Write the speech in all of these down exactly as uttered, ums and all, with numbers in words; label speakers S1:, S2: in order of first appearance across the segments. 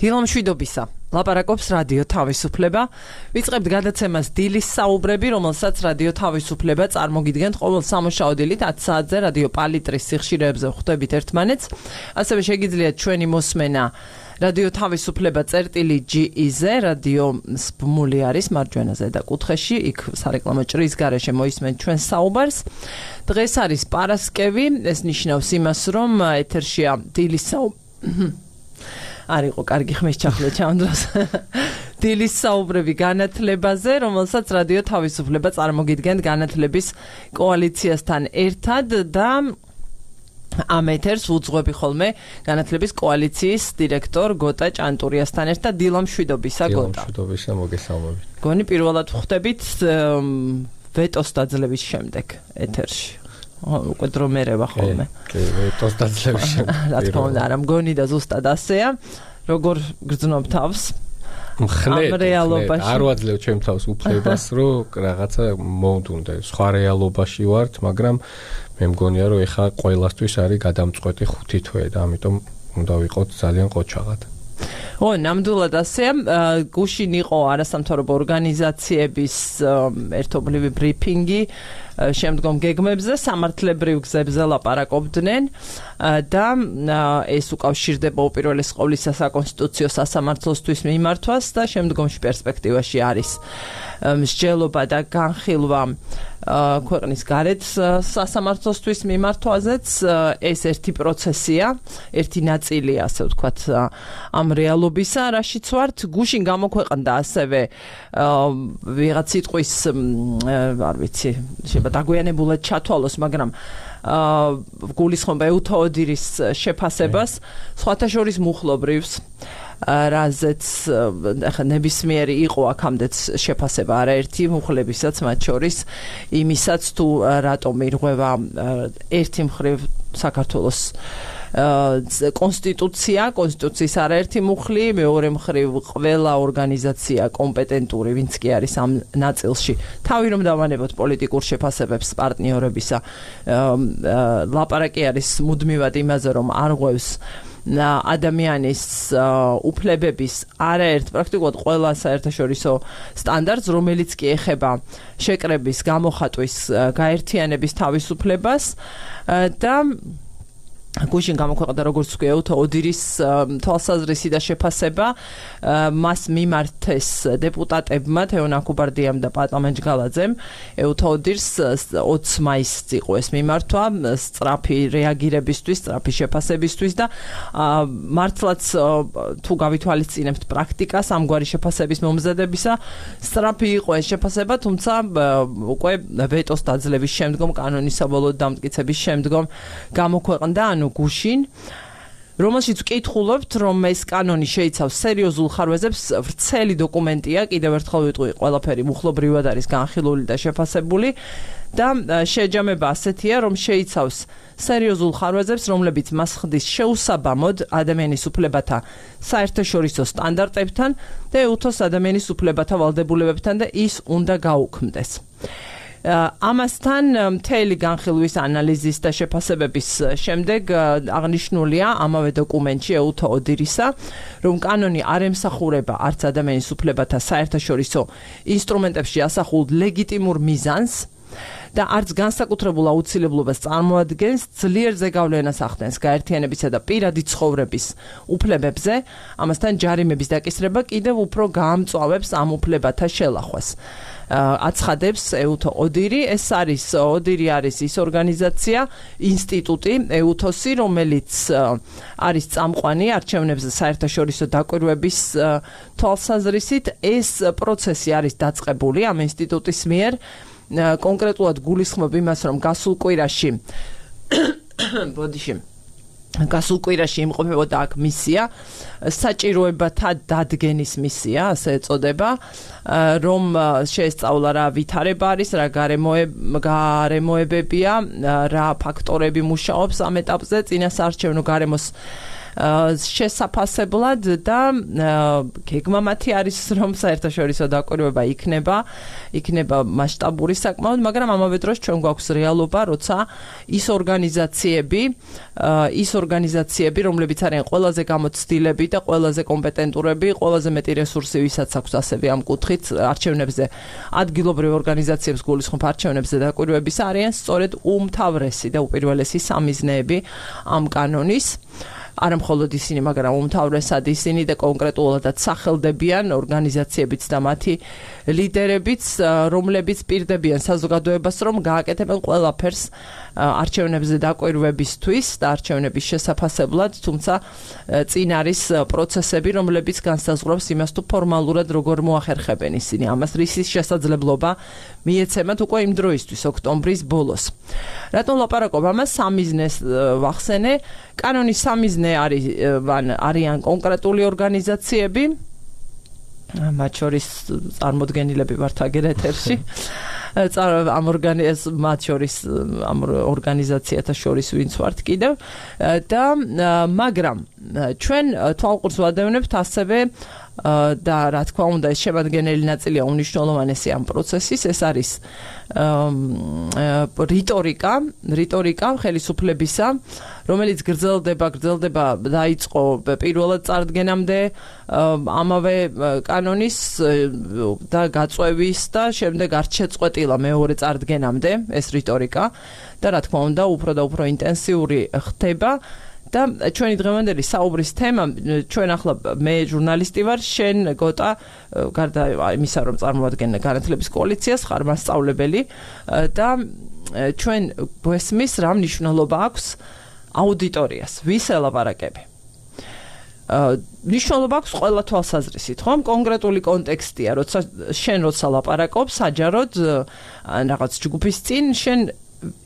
S1: დილო მშვიდობისა. ლაპარაკობს რადიო თავისუფლება. ვიწყებთ გადაცემას დილის საუბრები, რომელსაც რადიო თავისუფლება წარმოგიდგენთ ყოველ სამუშაო დილით ათი საათზე რადიო პალიტრის სიხშირეებზე ხვდებით ერთმანეთს. ასევე შეგიძლიათ ჩვენი მოსმენა რადიო თავისუფლება წერტილი ჯი ი-ზე, რადიო სპმული არის მარჯვენა ზედა კუთხეში, იქ სარეკლამო ჭრის გარეშე მოისმენთ ჩვენ საუბარს. დღეს არის პარასკევი, ეს ნიშნავს იმას, რომ ეთერშია დილის საუბრები. არ იყო კარგი ხმის ჩახლე ჩამ დროს. დილის საუბრები განათლებაზე, რომელსაც რადიო თავისუფლება წარმოგიდგენთ განათლების კოალიციასთან ერთად და ამ ეთერს უძღვები ხოლმე განათლების კოალიციის დირექტორ გოტა ჭანტურიასთან ერთად. დილო მშვიდობისა გოტა.
S2: დილო მშვიდობისა, მოგესალმებით.
S1: გონი პირველად ვხვდებით ვეტოს დაძლევის შემდეგ ეთერში. უკვე დრო მერევა ხოლმე.
S2: კი, ვეტოს დაძლევის შემდეგ.
S1: რა თქმა უნდა, არა მგონი და ზუსტად ასეა. როგორ გრძნობ თავს?
S2: მხნედ, არ ვაძლევ ჩემ თავს უფლებას, რომ რაღაცა მოვდუნდე. სხვა რეალობაში ვართ, მაგრამ მე მგონია, რომ ეხა ყველასთვის არის გადამწყვეტი ხუთი თვე და ამიტომ უნდა ვიყოთ ძალიან ყოჩაღად.
S1: ო, ნამდვილად ასეა. გუშინ იყო არასამთავრობო ორგანიზაციების ერთობლივი ბრიფინგი შემდგომ გეგმებზე, სამართლებრივ გზებზე ლაპარაკობდნენ და ეს უკავშირდება უპირველეს ყოვლისა საკონსტიტუციო სასამართლოსთვის მიმართვას და შემდგომში პერსპექტივაში არის მსჯელობა და განხილვა ქვეყნის გარეთ სასამართლოსთვის მიმართვაზეც. ეს ერთი პროცესია, ერთი ნაწილია, ასე ვთქვათ, ამ რეალობისა, რაშიც ვართ. გუშინ გამოქვეყნდა ასევე ვიღაც სიტყვის, არ ვიცი, შეიძლება დაგვიანებულად ჩათვალოს, მაგრამ გულისხმობა ეუთო ოდირის შეფასებას, სხვათა შორის მუხლობრივს, რაზეც ახლა ნებისმიერი იყო აქამდეც შეფასება არაერთი მუხლებისაც, მათ შორის იმისაც თუ რატომ ირღვევა ერთი მხრივ საქართველოს კონსტიტუცია, კონსტიტუციის არაერთი მუხლი, მეორე მხრივ ყველა ორგანიზაცია კომპეტენტური, ვინც კი არის ამ ნაწილში. თავი რომ დავანებოთ პოლიტიკურ შეფასებებს პარტნიორებისა, ლაპარაკი არის მუდმივად იმაზე, რომ არღვევს ადამიანის უფლებების არაერთ პრაქტიკულად ყველა საერთაშორისო სტანდარტს, რომელიც კი ეხება შეკრების გამოხატვის გაერთიანების თავისუფლებას და გუშინ გამოქვეყნდა, როგორც ვთქვი, ეუთო ოდირის თვალსაზრისი და შეფასება. მას მიმართეს დეპუტატებმა თეონ აქუბარდიამ და პატამენ ჯგალაძემ. ეუთო ოდირს ოცი მაისს იყო ეს მიმართვა, სწრაფი რეაგირებისთვის, სწრაფი შეფასებისთვის და მართლაც თუ გავითვალისწინებთ პრაქტიკას ამგვარი შეფასების მომზადებისა, სწრაფი იყო ეს შეფასება, თუმცა უკვე ვეტოს დაძლევის შემდგომ, კანონის საბოლოო დამტკიცების შემდგომ გამოქვეყნდა გუშინ, რომელშიც ვკითხულობთ, რომ ეს კანონი შეიცავს სერიოზულ ხარვეზებს, ვრცელი დოკუმენტია, კიდევ ერთხელ ვიტყვი, ყველაფერი მუხლობრივად არის განხილული და შეფასებული და შეჯამება ასეთია, რომ შეიცავს სერიოზულ ხარვეზებს, რომლებიც მას ხდის შეუსაბამოდ ადამიანის უფლებათა საერთაშორისო სტანდარტებთან და ეუთოს ადამიანის უფლებათა ვალდებულებებთან და ის უნდა გაუქმდეს. ამასთან მთელი განხილვის ანალიზის და შეფასებების შემდეგ აღნიშნულია ამავე დოკუმენტში ეუთო ოდირისა, რომ კანონი არ ემსახურება არც ადამიანის უფლებათა საერთაშორისო ინსტრუმენტებში ასახულ ლეგიტიმურ მიზანს და არც განსაკუთრებულ აუცილებლობას წარმოადგენს, ძლიერ ზეგავლენას ახდენს გაერთიანებისა და პირადი ცხოვრების უფლებებზე, ამასთან ჯარიმების დაკისრება კიდევ უფრო გაამწვავებს ამ უფლებათა შელახვას. აცხადებს ეუთო ოდირი, ეს არის ოდირი არის ის ორგანიზაცია, ინსტიტუტი ეუთოსი, რომელიც არის წამყვანი არჩევნებზე საერთაშორისო დაკვირვების თვალსაზრისით. ეს პროცესი არის დაწყებული ამ ინსტიტუტის მიერ. კონკრეტულად გულისხმობ იმას, რომ გასულ კვირაში ბოდიში გასულ კვირაში იმყოფებოდა აქ მისია, საჭიროებათა დადგენის მისია, ასე ეწოდება, რომ შეესწავლა რა ვითარება არის, რა გარემოებებია, რა ფაქტორები მუშაობს ამ ეტაპზე, წინასაარჩევნო გარემოს შესაფასებლად და გეგმა მათი არის რომ საერთაშორისო დაკვირვება იქნება, იქნება მასშტაბური საკმაოდ, მაგრამ ამავე დროს ჩვენ გვაქვს რეალობა, როცა ის ორგანიზაციები, ის ორგანიზაციები, რომლებიც არიან ყველაზე გამოცდილები და ყველაზე კომპეტენტურები, ყველაზე მეტი რესურსი ვისაც აქვს ასევე ამ კუთხით არჩევნებზე, ადგილობრივ ორგანიზაციებს გულისხმობ არჩევნებზე დაკვირვების არიან სწორედ უმთავრესი და უპირველესი სამიზნეები ამ კანონის. არა მხოლოდ ისინი, მაგრამ უმთავრესად ისინი და კონკრეტულადაც სახელდებიან ორგანიზაციებიც და მათი ლიდერებიც, რომლებიც პირდებიან საზოგადოებას, რომ გააკეთებენ ყველაფერს არჩევნებზე დაკვირვებისთვის და არჩევნების შესაფასებლად, თუმცა წინ არის პროცესები, რომლებიც განსაზღვრავს იმას, თუ ფორმალურად როგორ მოახერხებენ ისინი ამას, რისის შესაძლებლობა მიეცემათ უკვე იმ დროისთვის, ოქტომბრის ბოლოს. რატომ ლაპარაკობ ამას? სამიზნეს ვახსენე. კანონის სამიზნე არის არიან კონკრეტული ორგანიზაციები, მათ შორის წარმოდგენილები ვართ აგერ ეთერში. ამ ორგანიზაციას მათ შორის ამ ორგანიზაციათა შორის ვინც ვართ კიდევ და მაგრამ ჩვენ თვალყურს ვადევნებთ ასევე და რა თქმა უნდა ეს შემადგენელი ნაწილია უნიშნულოვანესი ამ პროცესის, ეს არის რიტორიკა, რიტორიკა ხელისუფლებისა, რომელიც გრძელდება, გრძელდება დაიწყო პირველად წარდგენამდე ამავე კანონის და გაწვევის და შემდეგ არც შეწყვეტილა მეორე წარდგენამდე ეს რიტორიკა და რა თქმა უნდა უფრო და უფრო ინტენსიური ხდება. და ჩვენი დღევანდელი საუბრის თემა, ჩვენ ახლა მე ჟურნალისტი ვარ, შენ გოტა, გარდა იმისა რომ წარმოადგენენ განათლების კოალიციას, ხარ მასწავლებელი და ჩვენ გვესმის რა მნიშვნელობა აქვს აუდიტორიას, ვის ელაპარაკები. მნიშვნელობა აქვს ყველა თვალსაზრისით, ხომ? კონკრეტული კონტექსტია, როცა შენ როცა ლაპარაკობ საჯაროდ რაღაც ჯგუფის წინ, შენ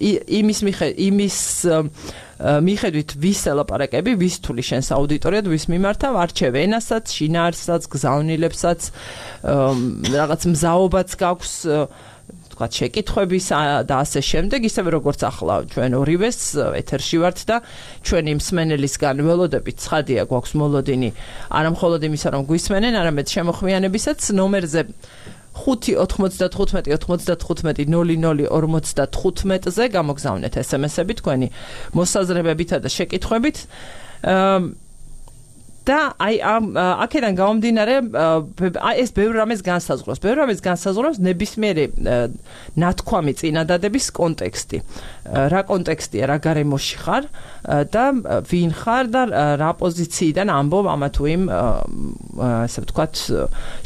S1: იმის იმის მიხედვით ვის ელაპარაკები, ვის თული შენს აუდიტორიად, ვის მიმართავ, არჩევ ენასაც, შინაარსსაც, გზავნილებსაც, რაღაც მზაობაც გაქვს, თქვა შეკითხვების და ასე შემდეგ, ისევე როგორც ახლა ჩვენ ორივეს ეთერში ვართ და ჩვენი მსმენელისგან ველოდებით ცხადია გვაქვს მოლოდინი, არა მხოლოდ იმისა რომ გვისმენენ, არამედ შემოხვიანებისაც ნომერზე ხუთი ოთხმოცდათხუთმეტი ოცდათხუთმეტი ნული ნული ორმოცდათხუთმეტზე გამოგზავნეთ ესემესები თქვენი მოსაზრებებითა და შეკითხვებით. და აი ამ აქედან გამომდინარე ეს ბევრ რამეს განსაზღვრავს. ბევრ რამეს განსაზღვრავს ნებისმიერი ნათქვამი წინადადების კონტექსტი. რა კონტექსტია, რა გარემოში ხარ და ვინ ხარ და რა პოზიციიდან ამბობ ამა თუ იმ ასე ვთქვათ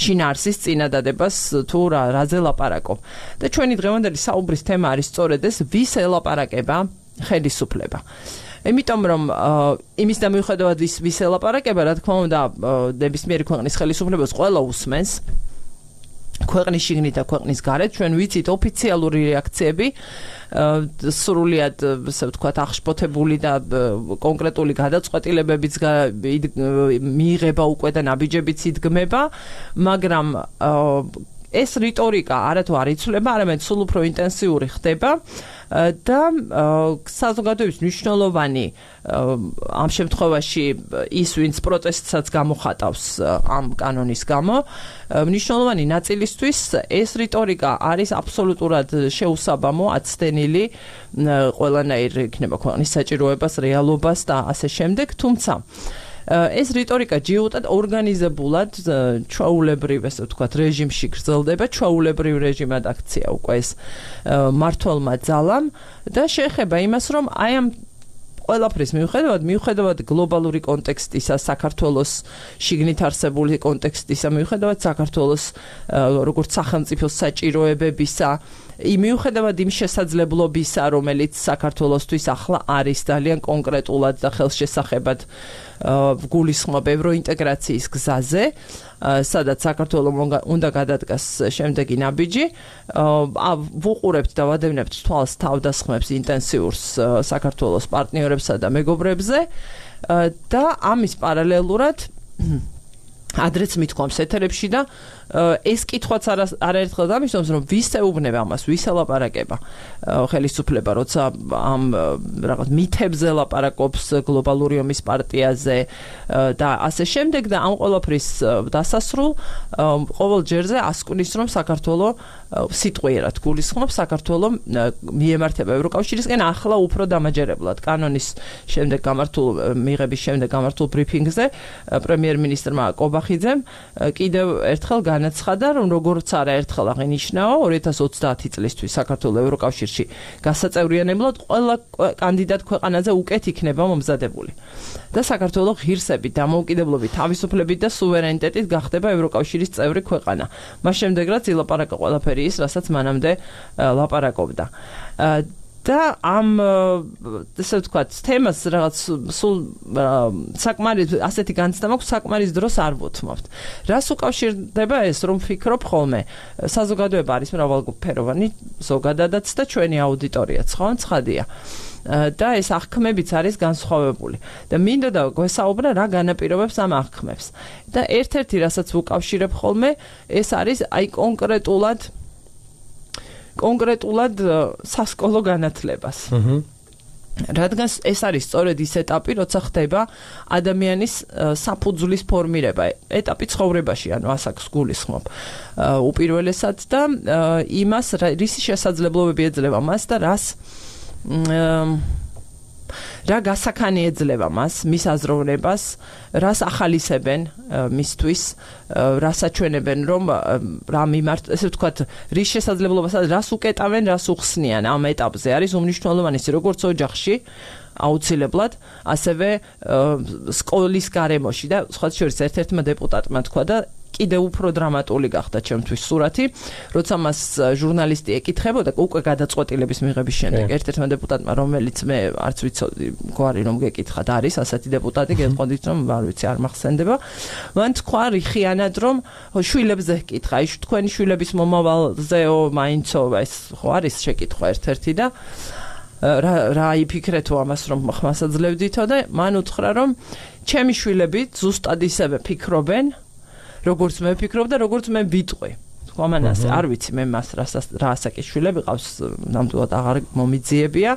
S1: შინაარსის წინადადებას თუ რა რაზე ლაპარაკობ. და ჩვენი დღევანდელი საუბრის თემა არის სწორედ ეს, ვის ელაპარაკება ხელისუფლება. იმიტომ რომ იმის და მიუხედავად ის ვის ელაპარაკება, რა თქმა უნდა, ნებისმიერი ქვეყნის ხელისუფლებას ყველა უსმენს. ქვეყნის შიგნით და ქვეყნის გარეთ ჩვენ ვიცით ოფიციალური რეაქციები, სრულიად, ასე ვთქვათ, აღშფოთებული და კონკრეტული გადაწყვეტილებებიც მიიღება უკვე და ნაბიჯებიც იდგმება, მაგრამ ეს რიტორიკა არათუ არ იცვლება, არამედ სულ უფრო ინტენსიური ხდება და საზოგადოების მნიშვნელოვანი ამ შემთხვევაში ის ვინც პროტესტსაც გამოხატავს ამ კანონის გამო, მნიშვნელოვანი ნაწილისთვის ეს რიტორიკა არის აბსოლუტურად შეუსაბამო, აცდენილი ყველანაირ იქნება ქვეყნის საჭიროებას, რეალობას და ასე შემდეგ, თუმცა ეს რიტორიკა ჯიუტად ორგანიზებულად ჩვეულებრივ, ესე ვთქვათ, რეჟიმში გრძელდება, ჩვეულებრივ რეჟიმად აქცია უკვე ეს მართლმა ძალამ და შეეხება იმას, რომ აი ამ ყველაფრის მიუხედავად, მიუხედავად გლობალური კონტექსტისა, საქართველოს შიგნით არსებული კონტექსტისა, მიუხედავად საქართველოს როგორც სახელმწიფოს საჭიროებებისა, მიუხედავად იმ შესაძლებლობისა, რომელიც საქართველოსთვის ახლა არის ძალიან კონკრეტულად და ხელშესახებად გულისხმობ ევროინტეგრაციის გზაზე, სადაც საქართველოს უნდა გადადგას შემდეგი ნაბიჯი, ვუყურებთ და ვადევნებთ თვალს თავდასხმებს ინტენსიურს საქართველოს პარტნიორებსა და მეგობრებზე და ამის პარალელურად ადრეც მithქვამს ეთერებში და ეს კითხვაც არაერთხელ დამისვენს, რომ ვის ეუბნება ამას, ვის ელაპარაკება ხელისუფლება, როცა ამ რაღაც მითებზე ლაპარაკობს გლობალური ომის პარტიაზე და ასე შემდეგ და ამ ყველაფრის დასასრულ ყოველ ჯერზე ასკვნის, რომ საქართველოს სიტყვიერად გულისხმობს საქართველოს მიემართება ევროკავშირისკენ ახლა უფრო დამაჯერებლად კანონის შემდეგ გამართულ მიღების შემდეგ გამართულ ბრიფინგზე პრემიერ-მინისტრმა კობახიძემ კიდევ ერთხელ განაცხადა, რომ როგორც არაერთხელ აღინიშნაო ორი ათას ოცდაათი წლისთვის საქართველოს ევროკავშირში გასაწევრიანებლად ყველა კანდიდატ ქვეყანაზე უკეთ იქნება მომზადებული. და საქართველოს ღირსებით, დამოუკიდებლობით, თავისუფლებით და სუვერენიტეტით გახდება ევროკავშირის წევრი ქვეყანა. მას შემდეგ რაც ილაპარაკა ყველაფერი ის, რასაც მანამდე ლაპარაკობდა. და ამ ესე ვთქვათ, თემას რაღაც სულ საკმარის ასეთი განცდა მაქვს, საკმარის დროს არ ვუთმობთ. რას უკავშირდება ეს, რომ ვფიქრობ ხოლმე, საზოგადოება არის მრავალფეროვანი ზოგადადაც და ჩვენი აუდიტორიაც, ხო, ცხადია. და ეს აღქმებიც არის განსხვავებული. და მინდა და გვესაუბრა რა განაპირობებს ამ აღქმებს. და ერთ-ერთი რასაც ვუკავშირებ ხოლმე, ეს არის აი კონკრეტულად კონკრეტულად სასკოლო განათლებას. აჰა. რადგან ეს არის სწორედ ის ეტაპი, როცა ხდება ადამიანის საფუძვლის ფორმირება, ეტაპი ცხოვრებაში, ანუ ასაკს გულისხმობ. უპირველესად და იმას, რისი შესაძლებლობები ეძლევა მას და რას რა გასახანი ეძლევა მას, მის აზროვნებას, რას ახალისებენ მისთვის, რას აჩვენებენ, რომ რა მიმართ, ესე ვთქვათ, რის შესაძლებლობას, რას უკეტავენ, რას უხსნიან ამ ეტაპზე. არის უმნიშვნელოვანი ის, როგორც ოჯახში, აუცილებლად, ასევე სკოლის გარემოში და სხვა შორის ერთ-ერთმა დეპუტატმა თქვა და კიდევ უფრო დრამატული გახდა ჩემთვის სურათი, როცა მას ჟურნალისტი ეკითხებოდა უკვე გადაწყვეტილების მიღების შემდეგ. ერთ-ერთმა დეპუტატმა, რომელიც მე არც ვიცოდი, გვარი რომ გეკითხათ, არის ასეთი დეპუტატი, გეტყოდით რომ არ ვიცი, არ მახსენდება. მან თქვა რიხიანად, რომ შვილებზე კითხა, ის თქვენი შვილების მომავალზეო, მაინცო, ეს ხო არის შეკითხვა ერთ-ერთი და რა რა იფიქრეთო ამას რომ ხმასაძლევდითო და მან უთხრა რომ ჩემი შვილები ზუსტად ისევე ფიქრობენ როგორც მე ვფიქრობ და როგორც მე ვიტყვი. თქვა მან ასე, არ ვიცი მე მას რა ასაკის შვილები ყავს, ნამდვილად აღარ მომიძიებია,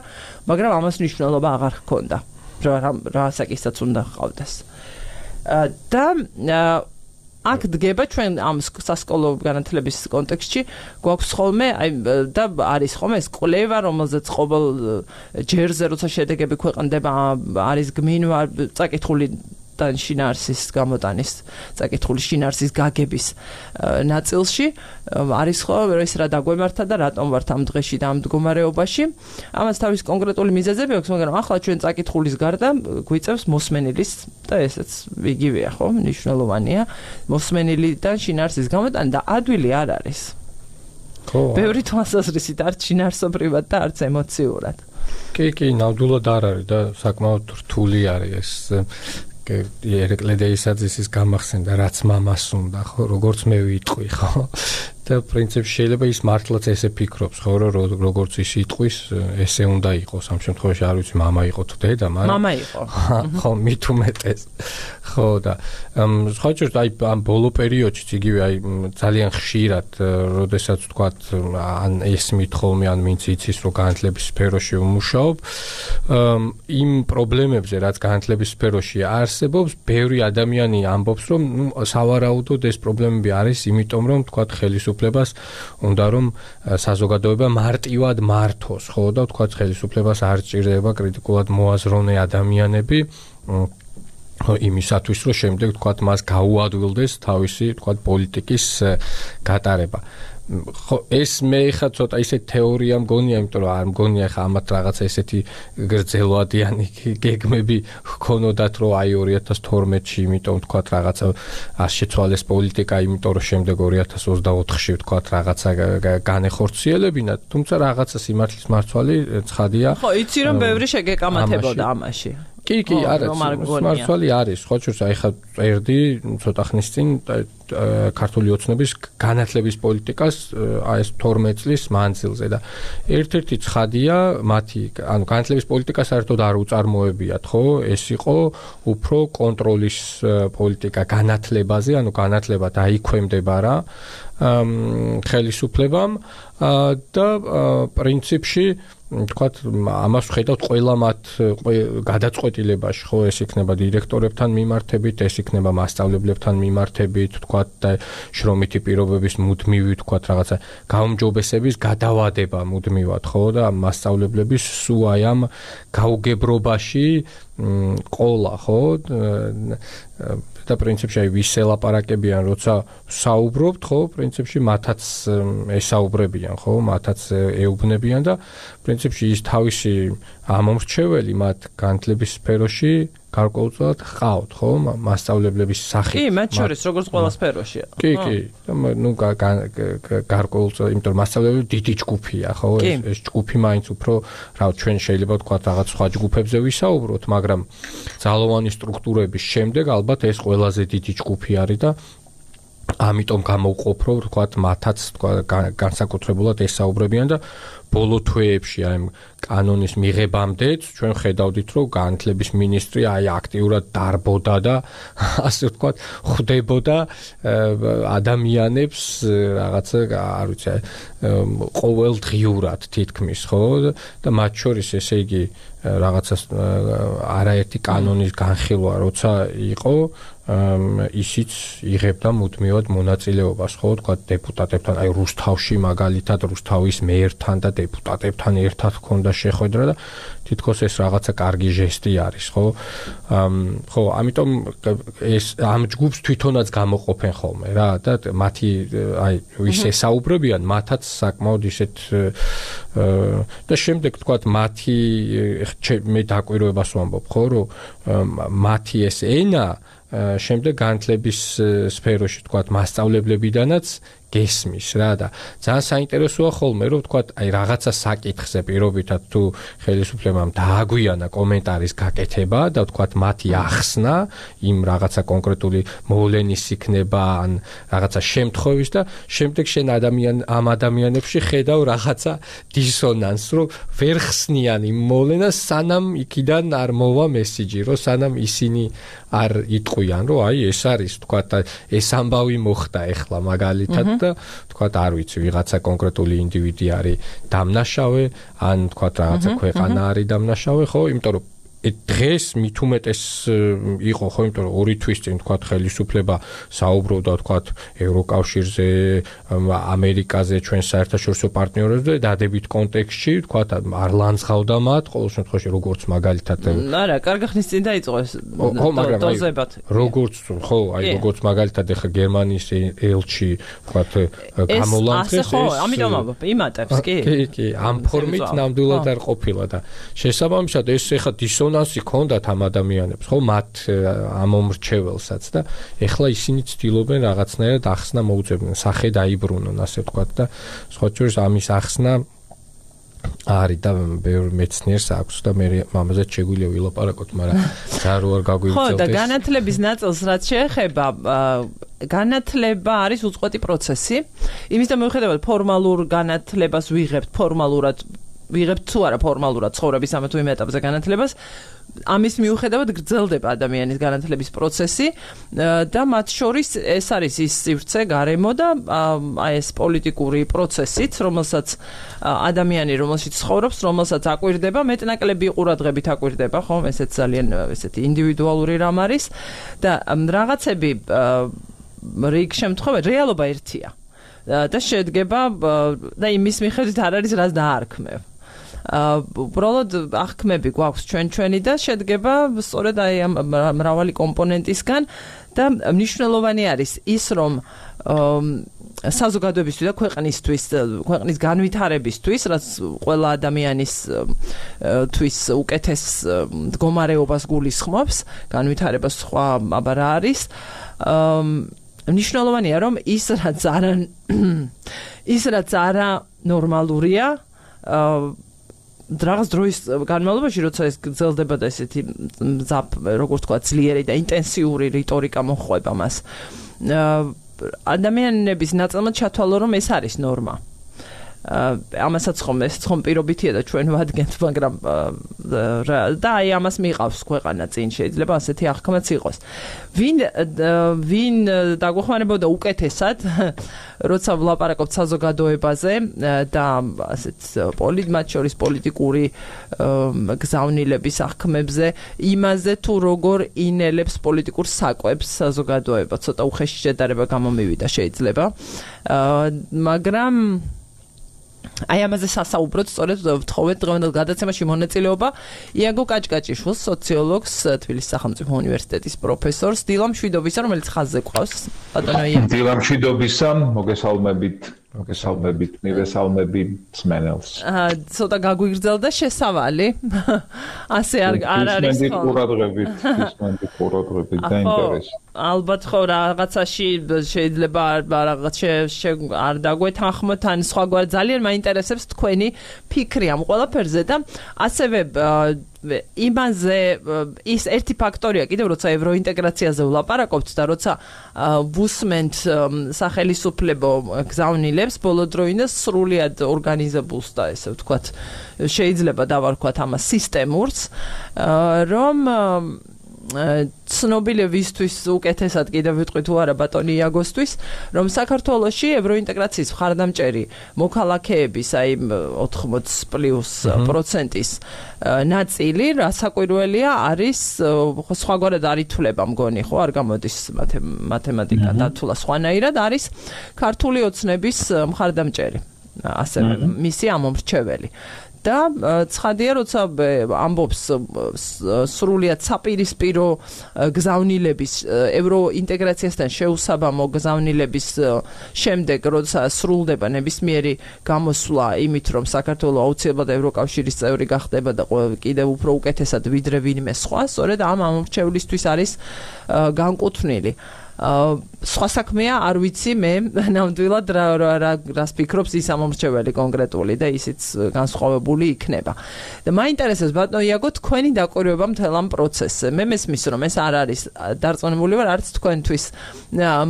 S1: მაგრამ ამას მნიშვნელობა აღარ ჰქონდა. რა ასაკისაც უნდა ჰყავდეს. და აქ დგება ჩვენ ამ სასკოლო განათლების კონტექსტში გვაქვს ხოლმე აი და არის ხოლმე ეს კვლევა, რომელზეც ყოველ ჯერზე როცა შედეგები ქვეყნდება არის გმინვა წაკითხული და შინაარსის გამოტანის წაკითხული შინაარსის გაგების ნაწილში არის ხო ეს რა დაგვემართა და რატომ ვართ ამ დღეში და ამ მდგომარეობაში. ამას თავის კონკრეტული მიზეზები აქვს, მაგრამ ახლა ჩვენ წაკითხulis გარდა გვიწევს მოსმენილის და ესეც იგივეა ხო, მნიშვნელოვანია მოსმენილიდან შინაარსის გამოტანა და ადვილი არ არის. ხო. ბევრი თვალსაზრისით არც შინაარსობრივად და არც ემოციურად.
S2: კი, კი, ნამდვილად არ არის და საკმაოდ რთული არის ეს ერეკლე დეისაძის გამახსენდა რაც მამას უნდა ხო როგორც მე ვიტყვი ხო და პრინციპში შეიძლება ის მართლაც ესე ფიქრობს ხო რომ როგორც ის იტყვის ესე უნდა იყოს ამ შემთხვევაში არ ვიცი მამა იყო თუ დედა მაგრამ
S1: მამა იყო
S2: ხო მით უმეტეს ხო და სხვა ჯერ აი ამ ბოლო პერიოდში იგივე აი ძალიან ხშირად როდესაც ვთქვათ ან ეს მითხოლმე ან ვინც იცის რომ განათლების სფეროში ვმუშაობ იმ პრობლემებზე რაც განათლების სფეროში არსებობს ბევრი ადამიანი ამბობს რომ სავარაუდოდ ეს პრობლემები არის იმიტომ რომ ვთქვათ ხელისუფლებას უნდა რომ საზოგადოება მარტივად მართოს ხო და ვთქვათ ხელისუფლებას არ სჭირდება კრიტიკულად მოაზროვნე ადამიანები იმისათვის რომ შემდეგ ვთქვათ მას გაუადვილდეს თავისი ვთქვათ პოლიტიკის გატარება ხო ეს მე ხა ცოტა ისე თეორია მგონია იმიტომ რომ არ მგონია ხა ამათ რაღაცა ესეთი გრძელვადიანი გეგმები ჰქონოდათ რომ აი ორი ათას თორმეტში იმიტომ ვთქვათ რაღაცა არ შეცვალეს პოლიტიკა იმიტომ რომ შემდეგ ორი ათას ოცდაოთხში ვთქვათ რაღაცა განეხორციელებინა თუმცა რაღაცა სიმართლის მარცვალი ცხადია
S1: ხო იცი რომ ბევრი შეგეკამათებოდა ამაში
S2: კი, კი, არა, მართალი არის, ხო, შორს აი ხა წერდი ცოტა ხნის წინ ქართული ოცნების განათლების პოლიტიკას აი ეს თორმეტ წლის მანძილზე და ერთ-ერთი ცხადია მათი, ანუ განათლების პოლიტიკა საერთოდ არ უწარმოებიათ, ხო? ეს იყო უფრო კონტროლის პოლიტიკა განათლებაზე, ანუ განათლება დაიქვემდება რა ხელისუფლებამ და პრინციპში თქვათ ამას ვხედავთ ყველა მათ გადაწყვეტილებაში, ხო, ეს იქნება დირექტორებთან მიმართებით, ეს იქნება მასწავლებლებთან მიმართებით, თქვათ და შრომითი პირობების მუდმივი, თქვათ რაღაცა გაუმჯობესების გადავადება მუდმივად, ხო, და მასწავლებლების სულ აი ამ გაუგებრობაში ყოლა, ხო, და პრინციპში აი ვის ელაპარაკებიან, როცა საუბრობთ, ხო, პრინციპში მათაც ესაუბრებიან, ხო, მათაც ეუბნებიან და პრინციპში ის თავისი ამომრჩეველი მათ განათლების სფეროში გარკვეულწილად ჰყავთ, ხო, მასწავლებლების სახით.
S1: კი, მათ შორის როგორც ყველა სფეროშია.
S2: კი, კი, ნუ გარკვეულწილად, იმიტომ რომ მასწავლებლები დიდი ჯგუფია, ხო, ეს ეს ჯგუფი მაინც უფრო რა ჩვენ შეიძლება ვთქვათ რაღაც სხვა ჯგუფებზე ვისაუბროთ, მაგრამ ძალოვანი სტრუქტურების შემდეგ ალბათ ეს ყველაზე დიდი ჯგუფი არის და ამიტომ გამოვყოფ რომ ვთქვათ მათაც განსაკუთრებულად ესაუბრებიან და ბოლო თვეებში აი კანონის მიღებამდეც ჩვენ ხედავდით რომ განათლების მინისტრი აი აქტიურად დარბოდა და ასე ვთქვათ ხვდებოდა ადამიანებს რაღაცა არ ვიცი ყოველდღიურად თითქმის ხო და მათ შორის ესე იგი რაღაცა არაერთი კანონის განხილვა როცა იყო ისიც იღებდა მუდმივად მონაწილეობას ხო თქვა დეპუტატებთან აი რუსთავში მაგალითად რუსთავის მეერთან და დეპუტატებთან ერთად ჰქონდა შეხვედრა და თითქოს ეს რაღაცა კარგი ჟესტი არის ხო ხო ამიტომ ეს ამ ჯგუფს თვითონაც გამოყოფენ ხოლმე რა და მათი აი ვის ესაუბრებიან მათაც საკმაოდ ისეთ და შემდეგ თქვა მათი მე დაკვირვებას ვამბობ ხო რომ მათი ეს ენა შემდეგ განათლების სფეროში თქვათ მასწავლებლებიდანაც გესმის რა და ძალიან საინტერესოა ხოლმე რომ თქვათ აი რაღაცა საკითხზე პირობითად თუ ხელისუფლებამ დააგვიანა კომენტარის გაკეთება და თქვათ მათი ახსნა იმ რაღაცა კონკრეტული მოვლენის იქნება ან რაღაცა შემთხვევის და შემდეგ შენ ადამიან ამ ადამიანებში ხედავ რაღაცა დისონანსს რომ ვერ ხსნიან იმ მოვლენას სანამ იქიდან არ მოვა მესიჯი რომ სანამ ისინი არ იტყვიან რომ აი ეს არის თქვათ ეს ამბავი მოხდა ეხლა მაგალითად და თქვათ არ ვიცი ვიღაცა კონკრეტული ინდივიდი არის დამნაშავე ან თქვათ რაღაცა ქვეყანა არის დამნაშავე ხო იმიტომ რომ დღეს მით უმეტეს იყო ხო იმიტომ რომ ორი თვის წინ თქვათ ხელისუფლება საუბრობდა თქვათ ევროკავშირზე ამერიკაზე ჩვენ საერთაშორისო პარტნიორებზე დადებით კონტექსტში თქვათ არ ლანძღავდა მათ ყოველ შემთხვევაში როგორც მაგალითად
S1: არა კარგი ხნის წინ დაიწყო ეს დოზებად
S2: როგორც ხო აი როგორც მაგალითად ახლა გერმანიის ელჩი თქვათ გამოლანძღეს
S1: ხო ამიტომ იმატებს კი
S2: კი კი ამ ფორმით ნამდვილად არ ყოფილა და შესაბამისად ეს ახლა დისონ ნასი ქონდათ ამ ადამიანებს ხო მათ ამომრჩეველსაც და ეხლა ისინი ცდილობენ რაღაცნაირად ახსნა მოუწევდნენ სახე დაიბრუნონ ასე ვთქვათ და სხვა შორის ამის ახსნა არის და ბევრ მეცნიერს აქვს და მე მამაზეც შეგვიძლია ვილაპარაკოთ მაგრამ რა რო არ გაგვიწევდეს
S1: ხო და განათლების ნაწილს რაც შეეხება განათლება არის უწყვეტი პროცესი იმის და მიუხედავად ფორმალურ განათლებას ვიღებთ ფორმალურად ვიღებთ თუ არა ფორმალურად ცხოვრების ამ თუ იმ ეტაპზე განათლებას ამის მიუხედავად გრძელდება ადამიანის განათლების პროცესი და მათ შორის ეს არის ის სივრცე გარემო და აი ეს პოლიტიკური პროცესიც რომელსაც ადამიანი რომელშიც ცხოვრობს რომელსაც აკვირდება მეტნაკლები ყურადღებით აკვირდება ხო ესეც ძალიან ესეთი ინდივიდუალური რამ არის და რაღაცები რიგ შემთხვევაში რეალობა ერთია და შედგება და იმის მიხედვით არ არის რაც დაარქმევ უბრალოდ აღქმები გვაქვს ჩვენ ჩვენი და შედგება სწორედ აი ამ მრავალი კომპონენტისგან და მნიშვნელოვანი არის ის რომ საზოგადოებისთვის და ქვეყნისთვის ქვეყნის განვითარებისთვის რაც ყველა ადამიანის თვის უკეთეს მდგომარეობას გულისხმობს განვითარებას სხვა აბა რა არის მნიშვნელოვანია რომ ის რაც არა ის რაც არა ნორმალურია რაღაც დროის განმავლობაში, როცა ეს გრძელდება და ესეთი მზაფ, როგორც თქვა, ძლიერი და ინტენსიური რიტორიკა მოხვება მას. ადამიანების ნაწილმა ჩათვალო, რომ ეს არის ნორმა. ამასაც ხომ ეს ხომ პირობითია და ჩვენ ვადგენთ, მაგრამ და აი ამას მიყავს ქვეყანა წინ, შეიძლება ასეთი აღქმაც იყოს. ვინ ვინ დაგვეხმარებოდა უკეთესად, როცა ვლაპარაკობთ საზოგადოებაზე და ასეთ პოლიტ მათ შორის პოლიტიკური გზავნილების აღქმებზე, იმაზე თუ როგორ ინელებს პოლიტიკურ საკვებს საზოგადოება, ცოტა უხეში შედარება გამომივიდა შეიძლება. მაგრამ აი ამაზე სასაუბროთ, სწორედ ვთხოვეთ დღევანდელ გადაცემაში მონაწილეობა იაგო კაჭკაჭიშვილს, სოციოლოგს, თბილისის სახელმწიფო უნივერსიტეტის პროფესორს, დილა მშვიდობისა, რომელიც ხაზზე ყავს. ბატონო იაგო.
S3: დილა მშვიდობისა, მოგესალმებით, მოგესალმებით, მივესალმები მსმენელს.
S1: აა, ცოტა გაგვიგრძელდა შესავალი. ასე არ არ არის
S3: ხო? ყურადღებით, ისმენდი ყურადღებით და ინტერესი.
S1: ალბათ ხო რაღაცაში შეიძლება რაღაც არ დაგვეთანხმოთ ან სხვაგვარ ძალიან მაინტერესებს თქვენი ფიქრი ამ ყველაფერზე და ასევე იმაზე ის ერთი ფაქტორია კიდევ როცა ევროინტეგრაციაზე ვლაპარაკობთ და როცა ვუსმენთ სახელისუფლებო გზავნილებს ბოლოდროინდ სრულიად ორგანიზებულს და ესე ვთქვათ შეიძლება დავარქვათ ამას სისტემურს რომ ცნობილებისთვის უკეთესად კიდევ ვიტყვი თუ არა ბატონი იაგოსთვის რომ საქართველოში ევროინტეგრაციის მხარდამჭერი მოქალაქეების აი ოთხმოც პლუს პროცენტის ნაწილი რასაკვირველია არის სხვაგვარად არ ითვლება მგონი ხო არ გამოდის მათემატიკა დათულა სხვანაირად არის ქართული ოცნების მხარდამჭერი ასევე მისი ამომრჩეველი და ცხადია როცა ამბობს სრულიად საპირისპირო გზავნილების ევროინტეგრაციასთან შეუსაბამო გზავნილების შემდეგ როცა სრულდება ნებისმიერი გამოსვლა იმით რომ საქართველო აუცილებლად ევროკავშირის წევრი გახდება და კიდევ უფრო უკეთესად ვიდრე ვინმე სხვა სწორედ ამ ამორჩევლისთვის არის განკუთვნილი სხვა საქმეა არ ვიცი მე ნამდვილად რა რას ფიქრობს ის ამომრჩეველი კონკრეტული და ისიც განსხვავებული იქნება და მაინტერესებს ბატონო იაგო თქვენი დაკვირვება მთელ ამ პროცესზე მე მესმის რომ ეს არ არის დარწმუნებული ვარ არც თქვენთვის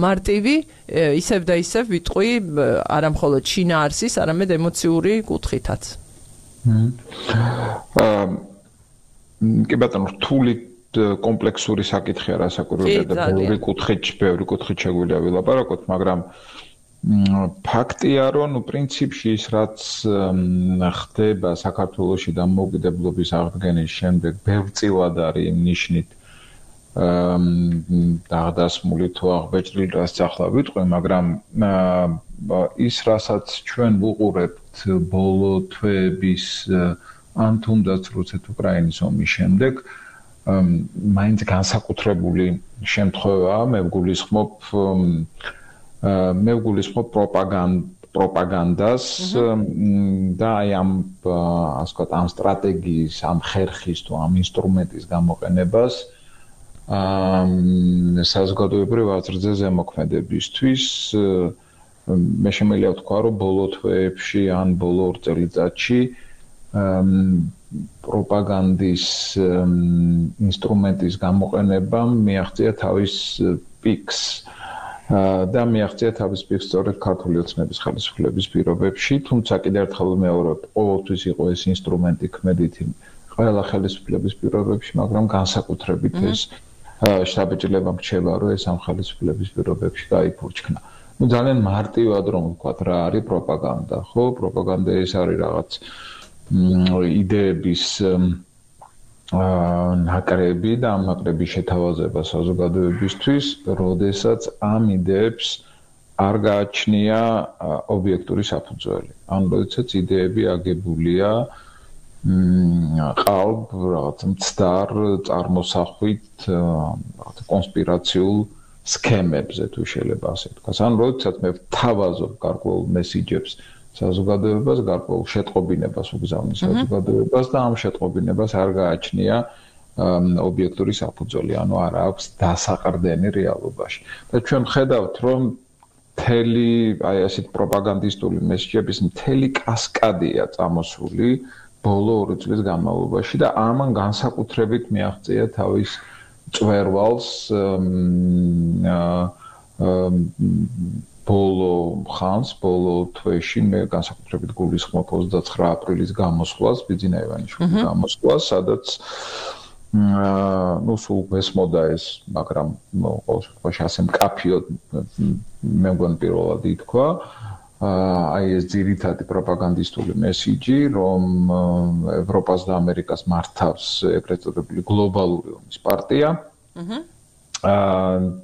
S1: მარტივი ისევ და ისევ ვიტყვი არა მხოლოდ შინაარსის არამედ ემოციური კუთხითაც აა კი ბატონო რთული კომპლექსური საკითხია რასაკვირველია და ბევრი კუთხით, ბევრი კუთხით შეგვიძლია ვილაპარაკოთ, მაგრამ ფაქტია, რომ პრინციპში ის რაც ხდება საქართველოში დამოუკიდებლობის აღდგენის შემდეგ, ბევრწილად არის იმ ნიშნით დაღდასმული თუ აღბეჭდილი, რაც ახლა ვიტყვი, მაგრამ ის რასაც ჩვენ ვუყურებთ ბოლო თვეების ან თუნდაც რუსეთ-უკრაინის ომის შემდეგ მაინც განსაკუთრებული შემთხვევაა მე ვგულისხმობ მე ვგულისხმობ პროპაგანდას და აი ამ ასე ვთქვათ ამ სტრატეგიის ამ ხერხის თუ ამ ინსტრუმენტის გამოყენებას საზოგადოებრივ აზრზე ზემოქმედებისთვის მე შემიძლია ვთქვა რომ ბოლო თვეებში ან ბოლო ორ წელიწადში პროპაგანდის ინსტრუმენტის გამოყენებამ მიაღწია თავის პიკს და მიაღწია თავის პიკს სწორედ ქართული ოცნების ხელისუფლების პირობებში, თუმცა კიდევ ერთხელ ვიმეორებ, ყოველთვის იყო ეს ინსტრუმენტი ქმედითი ყველა ხელისუფლების პირობებში, მაგრამ განსაკუთრებით ეს შთაბეჭდილება მრჩება, რომ ეს ამ ხელისუფლების პირობებში გაიფურჩქნა. ნუ ძალიან მარტივად რომ ვთქვათ რა არის პროპაგანდა, ხო? პროპაგანდა ეს არის რაღაც იდეების ნაკრები და ამ ნაკრების შეთავაზება საზოგადოებისთვის, როდესაც ამ იდეებს არ გააჩნია ობიექტური საფუძველი. ან როდესაც იდეები აგებულია ყალბ რაღაც მცდარ წარმოსახვით რაღაც კონსპირაციულ სქემებზე თუ შეიძლება ასე ვთქვას. ან როდესაც მე ვთავაზობ გარკვეულ მესიჯებს საზოგადოებას გარკვეულ შეტყობინებას უგზავნის საზოგადოებას და ამ შეტყობინებას არ გააჩნია ობიექტური საფუძველი, ანუ არ აქვს დასაყრდენი რეალობაში. და ჩვენ ხედავთ, რომ მთელი აი ასეთ პროპაგანდისტული მესიჯების მთელი კასკადია წამოსული
S3: ბოლო ორი წლის განმავლობაში და ამან განსაკუთრებით მიაღწია თავის წვერვალს ბოლო ხანს, ბოლო თვეში მე განსაკუთრებით გულისხმობ ოცდაცხრა აპრილის გამოსვლას, ბიძინა ივანიშვილის გამოსვლას, სადაც ну სულ მესმოდა ეს, მაგრამ ყოველ შემთხვევაში ასე მკაფიოდ მე მგონი პირველად ითქვა აი ეს ძირითადი პროპაგანდისტული მესიჯი, რომ ევროპას და ამერიკას მართავს ეგრეთ წოდებული გლობალური ომის პარტია.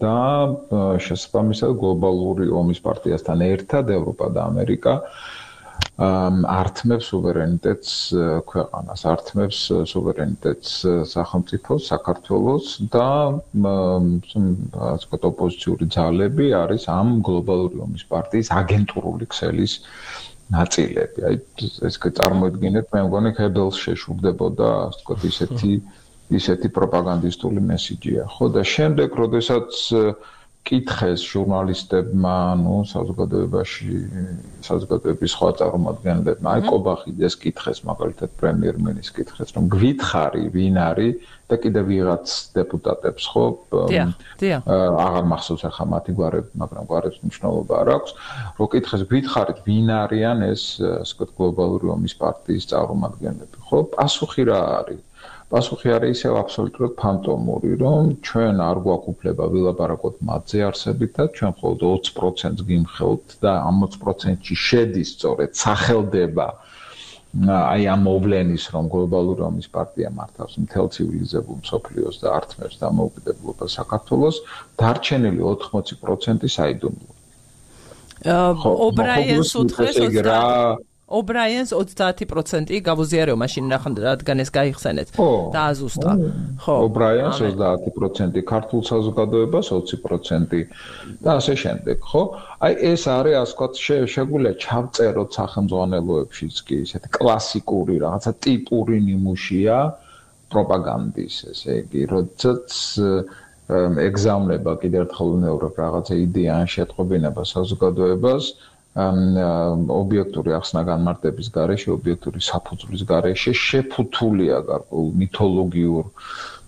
S3: და შესაბამისად გლობალური ომის პარტიასთან ერთად ევროპა და ამერიკა ართმევს სუვერენიტეტს ქვეყანას, ართმევს სუვერენიტეტს სახელმწიფოს, საქართველოს და ასე ვთქვათ ოპოზიციური ძალები არის ამ გლობალური ომის პარტიის აგენტურული ქსელის ნაწილები. აი ეს წარმოიდგინეთ, მე მგონი ქებელს შეშურდებოდა, ასე ვთქვათ ისეთი ისეთი პროპაგანდისტული მესიჯია, ხო და შემდეგ, როდესაც კითხეს ჟურნალისტებმა, ну, საზოგადოებაში, საზოგადოების სხვა წარმომადგენლებმა, აი კობახიძეს კითხეს, მაგალითად პრემიერ-მინისტრს კითხეს, რომ გვითხარი, ვინ არის და კიდე ვიღაც დეპუტატებს, ხო?
S1: დიახ, დიახ.
S3: აღარ მახსოვს ახლა მათი გვარები, მაგრამ გვარებს მნიშვნელობა არ აქვს. რო კითხეს, გვითხარით, ვინ არიან ეს, ასე ვთქვათ, გლობალური ომის პარტიის წარმომადგენლები, ხო? პასუხი რა არის? პასუხი არის ისევ აბსოლუტურად ფანტომური, რომ ჩვენ არ გვაქვს უფლება ვილაპარაკოთ მათზე არსებითად, ჩვენ მხოლოდ ოცი პროცენტს გიმხელთ და ამ ოცი პროცენტში შედის სწორედ სახელდება აი ამ მოვლენის, რომ გლობალური ომის პარტია მართავს მთელ ცივილიზებულ მსოფლიოს და ართმევს დამოუკიდებლობას საქართველოს, დარჩენილი ოთხმოცი პროცენტი საიდუმლოა.
S1: ობრაიენს უთხრეს ობრაიენს ოცდაათი პროცენტი გავუზიარეო მაშინ რადგან ეს გაიხსენეთ და აზუსტა.
S3: ხო. ობრაიენს ოცდაათი პროცენტი, ქართულ საზოგადოებას ოცი პროცენტი და ასე შემდეგ, ხო? აი ეს არის, ასე ვთქვათ, შეგვიძლია ჩავწეროთ სახელმძღვანელოებშიც კი ესეთი კლასიკური რაღაცა ტიპური ნიმუშია პროპაგანდის, ესე იგი, როდესაც ეგზავნება კიდევ ერთხელ უნევრებ რაღაცა იდეა ან შეტყობინება საზოგადოებას ობიექტური ახსნა განმარტების გარეშე, ობიექტური საფუძვლის გარეშე შეფუთულია გარკვეულ მითოლოგიურ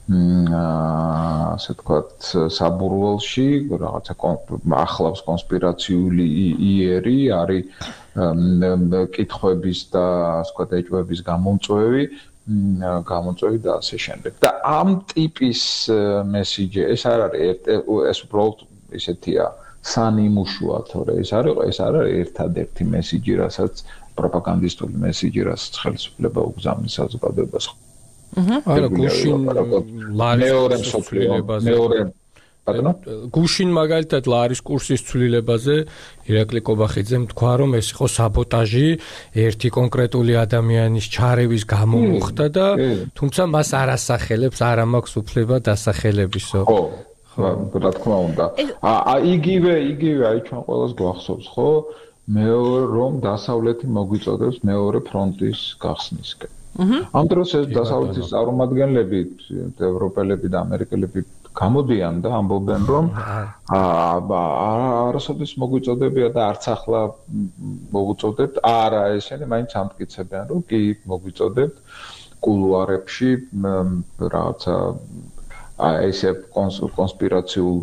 S3: ასე ვთქვათ საბურველში, რაღაცა ახლავს კონსპირაციული იერი, არის კითხვების და ასე ვთქვათ ეჭვების გამომწვევი, გამომწვევი და ასე შემდეგ. და ამ ტიპის მესიჯი ეს არ არის ეს უბრალოდ ისეთია სანიმუშოა, თორე ეს არის ეს არის ერთადერთი მესიჯი, რასაც პროპაგანდისტული მესიჯი, რასაც ხელისუფლება უგზავნის საზოგადოებას.
S2: არა, გუშინ
S3: მეორე მსოფლიოებაზე მეორე ბატონო
S2: გუშინ მაგალითად ლარის კურსის ცვლილებაზე ირაკლი კობახიძემ თქვა, რომ ეს იყო საბოტაჟი ერთი კონკრეტული ადამიანის ჩარევის გამო მოხდა და თუმცა მას არ ასახელებს, არ მაქვს უფლება დასახელებისო.
S3: ხო რა თქმა უნდა. აა იგივე, იგივე, აი ჩვენ ყველას გვახსოვს, ხო? მეორე რომ დასავლეთი მოგვიწოდებს მეორე ფრონტის გახსნისკენ. ამ დროს ეს დასავლეთის წარმომადგენლები, ევროპელები და ამერიკელები გამოდიან და ამბობენ, რომ აა არასოდეს მოგვიწოდებია და არც ახლა მოგვიწოდებთ. არა, ესენი მაინც ამტკიცებიან, რომ კი მოგვიწოდებთ კულუარებში რაღაცა აი ესე კონსპირაციულ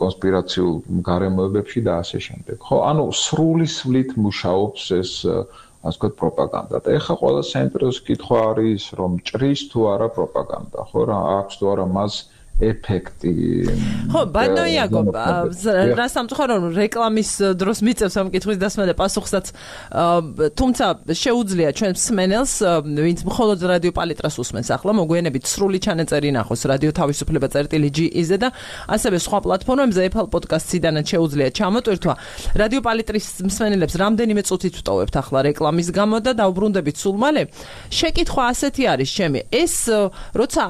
S3: კონსპირაციულ გარემოებებში და ასე შემდეგ. ხო, ანუ სრული სვლით მუშაობს ეს ასე ვთქვათ პროპაგანდა. და ეხლა ყველა საინტერესო კითხვა არის, რომ ჭრის თუ არა პროპაგანდა, ხო რა, აქვს თუ არა მას ეფექტი.
S1: ხო, ბატონო იაკობ, რა სამწუხარო რომ რეკლამის დროს მიწევს ამ კითხვის დასმა და პასუხსაც, თუმცა შეუძლია ჩვენ მსმენელს, ვინც მხოლოდ რადიო პალიტრას usmens ახლა, მოგვიანებით სრული ჩანაწერი ნახოს რადიო თავისუფლება წერტილი ჯი იზ-ზე და ასევე სხვა პლატფორმებზე Apple Podcast-იდანაც შეუძლია ჩამოტვირთვა. რადიო პალიტრის მსმენელებს რამდენიმე წუთით ვტოვებთ ახლა რეკლამის გამო და დაუბრუნდებით სულ მალე. შეკითხვა ასეთი არის ჩემი. ეს როცა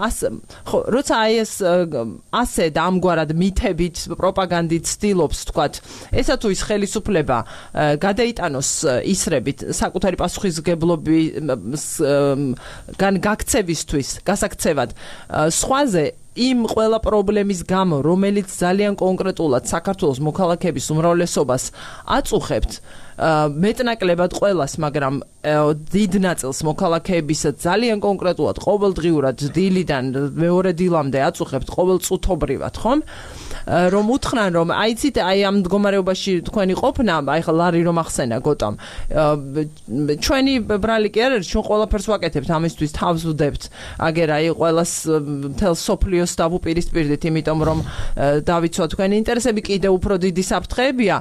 S1: ხო, როცა აი ეს ასე და ამგვარად მითებით, პროპაგანდით ცდილობს, თქვათ, ესა თუ ის ხელისუფლება გადაიტანოს ისრებით საკუთარი პასუხისგებლობის გაქცევისთვის, გასაქცევად, სხვაზე იმ ყველა პრობლემის გამო, რომელიც ძალიან კონკრეტულად საქართველოს მოქალაქეების უმრავლესობას აწუხებთ, მეტნაკლებად ყველას, მაგრამ დიდ ნაწილს მოქალაქეებისა ძალიან კონკრეტულად ყოველდღიურად დილიდან მეორე დილამდე აწუხებთ ყოველწუთობრივად, ხომ? რომ უთხრან რომ აიცით აი ამ მდგომარეობაში თქვენი ყოფნა, აი ხა ლარი რომ ახსენა გოტამ. ჩვენი ბრალი კი არ არის, ჩვენ ყველაფერს ვაკეთებთ ამისთვის თავს ვდებთ. აგერ აი ყველას მთელ სოფლიოს დავუპირისპირდით, იმიტომ რომ დავიცვა თქვენი ინტერესები, კიდევ უფრო დიდი საფრთხეებია,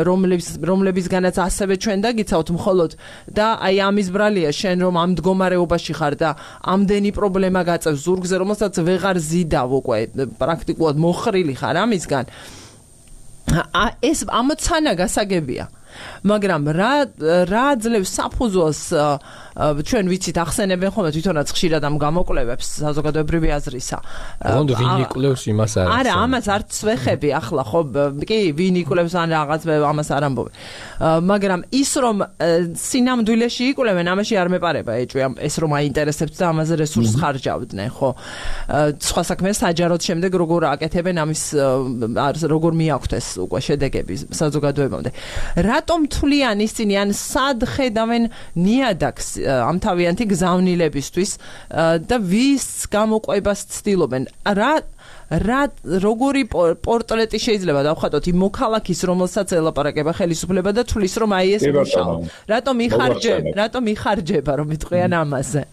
S1: რომლების რომლებისგანაც ასევე ჩვენ დაგიცავთ მხოლოდ და აი ამის ბრალია შენ რომ ამ მდგომარეობაში ხარ და ამდენი პრობლემა გაწევს ზურგზე, რომელსაც ვეღარ ზიდავ უკვე პრაქტიკულად მოხრილი ხარ ამისგან. ეს ამოცანა გასაგებია. მაგრამ რა რა ძლევს საფუძველს ჩვენ ვიცით ახსენებენ ხოლმე თვითონაც ხშირად ამ გამოკვლევებს საზოგადოებრივი აზრისა.
S2: ოღონდ ვინ იკვლევს იმას არის?
S1: არა, ამას არც ვეხები ახლა ხო, კი, ვინ იკვლევს ან რაღაც ამას არ ამბობენ. მაგრამ ის რომ სინამდვილეში იკვლევენ, ამაში არ მეპარება ეჭვი, ეს რომ აინტერესებთ და ამაზე რესურსს ხარჯავდნენ, ხო. სხვა საქმეა საჯაროდ შემდეგ როგორ აკეთებენ ამის როგორ მიაქვთ ეს უკვე შედეგები საზოგადოებამდე. რატომ თვლიან ისინი ან სად ხედავენ ნიადაგს ამ თავიანთი გზავნილებისთვის და ვის გამოყვებას ცდილობენ? რა რა როგორი პორტრეტი შეიძლება დავხატოთ იმ მოქალაქის, რომელსაც ელაპარაკება ხელისუფლება და თulis რომ აი ეს მუშაობა. რატომ იხარჯება, რატომ იხარჯება რომ იტყვიან ამაზე?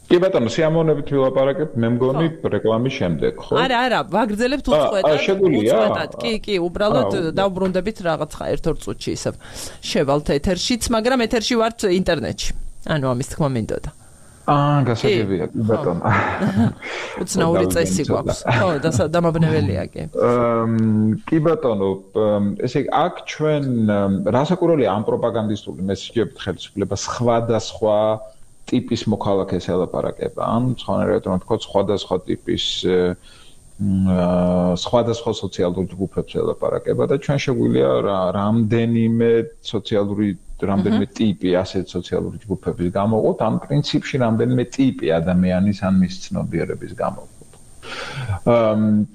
S3: კი ბატონო, სიამოვნებით ვილაპარაკებ, მე მგონი რეკლამის შემდეგ, ხო?
S1: არა, არა, ვაგრძელებთ უწყვეტად. უწყვეტად. კი, კი, უბრალოდ დავბრუნდებით რაღაცა ერთ-ორ წუთში ისევ. შევალთ ეთერშიც, მაგრამ ეთერში ვართ ინტერნეტში. ანუ ამის თქმა მინდოდა.
S3: აა, გასაგებია, ბატონო.
S1: უცნაური წესი გვაქვს. ხო, დამაბნეველია კი.
S3: კი ბატონო, ესე იგი, აქ ჩვენ რასაკვირველია ამ პროპაგანდისტული მესიჯებით ხელისუფლება სხვადასხვა ტიპის მოქალაქეს ელაპარაკება. ან სხვანაირად რომ ვთქვათ, სხვადასხვა ტიპის სხვადასხვა სოციალურ ჯგუფებს ელაპარაკება და ჩვენ შეგვიძლია რამდენიმე სოციალური რამდენიმე ტიპი ასეთ სოციალური ჯგუფების გამოვყოთ, ამ პრინციპში რამდენიმე ტიპი ადამიანის ან მის ცნობიერების გამოვყოთ.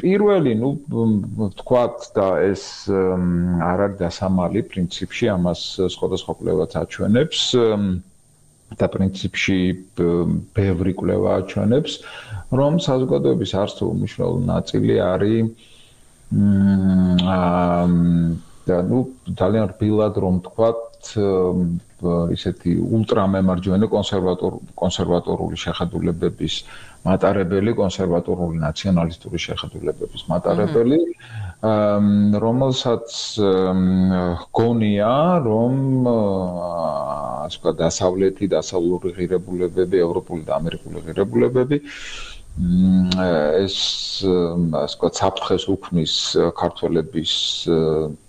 S3: პირველი, ну, ვთქვათ და ეს არ არის დასამალი პრინციპში, ამას სხვადასხვა კვლევაც აჩვენებს. და პრინციპში ბევრი კვლევა აჩვენებს, რომ საზოგადოების არც თუ უმნიშვნელო ნაწილი არის და ნუ ძალიან რბილად რომ თქვათ ისეთი ულტრამემარჯვენე კონსერვატორ კონსერვატორული შეხედულებების მატარებელი, კონსერვატორული ნაციონალისტური შეხედულებების მატარებელი, რომელსაც გონია, რომ ასე ვთქვათ, დასავლეთი, დასავლური ღირებულებები, ევროპული და ამერიკული ღირებულებები ეს ასე ვთქვათ, საფრთხეს უქმნის ქართველების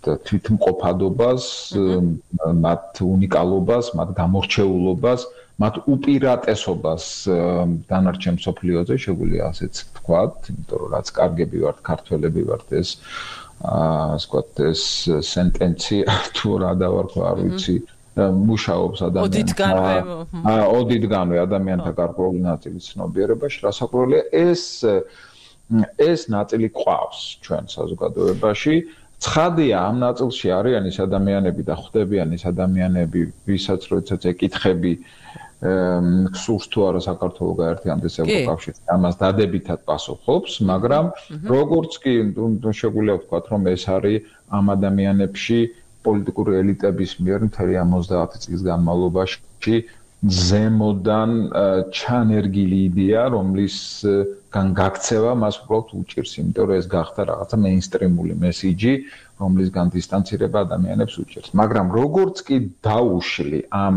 S3: თვითმყოფადობას, მათ უნიკალობას, მათ გამორჩეულობას, მათ უპირატესობას დანარჩენ მსოფლიოზე, შეგვიძლია ასეც ვთქვათ, იმიტომ რომ რაც კარგები ვართ, ქართველები ვართ, ეს ასე ვთქვათ, ეს სენტენცია თუ რა დავარქვა, არ ვიცი, მუშაობს ადამიანთან. ოდითგანვე ადამიანთა გარკვეული ნაწილის ცნობიერებაში, რასაკვირველია, ეს ეს ნაწილი ყავს ჩვენ საზოგადოებაში. ცხადია, ამ ნაწილში არიან ის ადამიანები და ხვდებიან ის ადამიანები, ვისაც როდესაც ეკითხები სურს თუ არა საქართველოს გაერთიანდეს ევროკავშირში, ამას დადებითად პასუხობს, მაგრამ როგორც კი შეგვიძლია ვთქვათ, რომ ეს არის ამ ადამიანებში პოლიტიკური ელიტების მიერ მთელი ოცდაათი წლის განმავლობაში ზემოდან ჩანერგილი იდეა, რომლისგან გაქცევა მას უბრალოდ უჭირს, იმიტომ რომ ეს გახდა რაღაცა მეინსტრიმული მესიჯი, რომლისგან დისტანცირება ადამიანებს უჭირს. მაგრამ როგორც კი დაუშლი ამ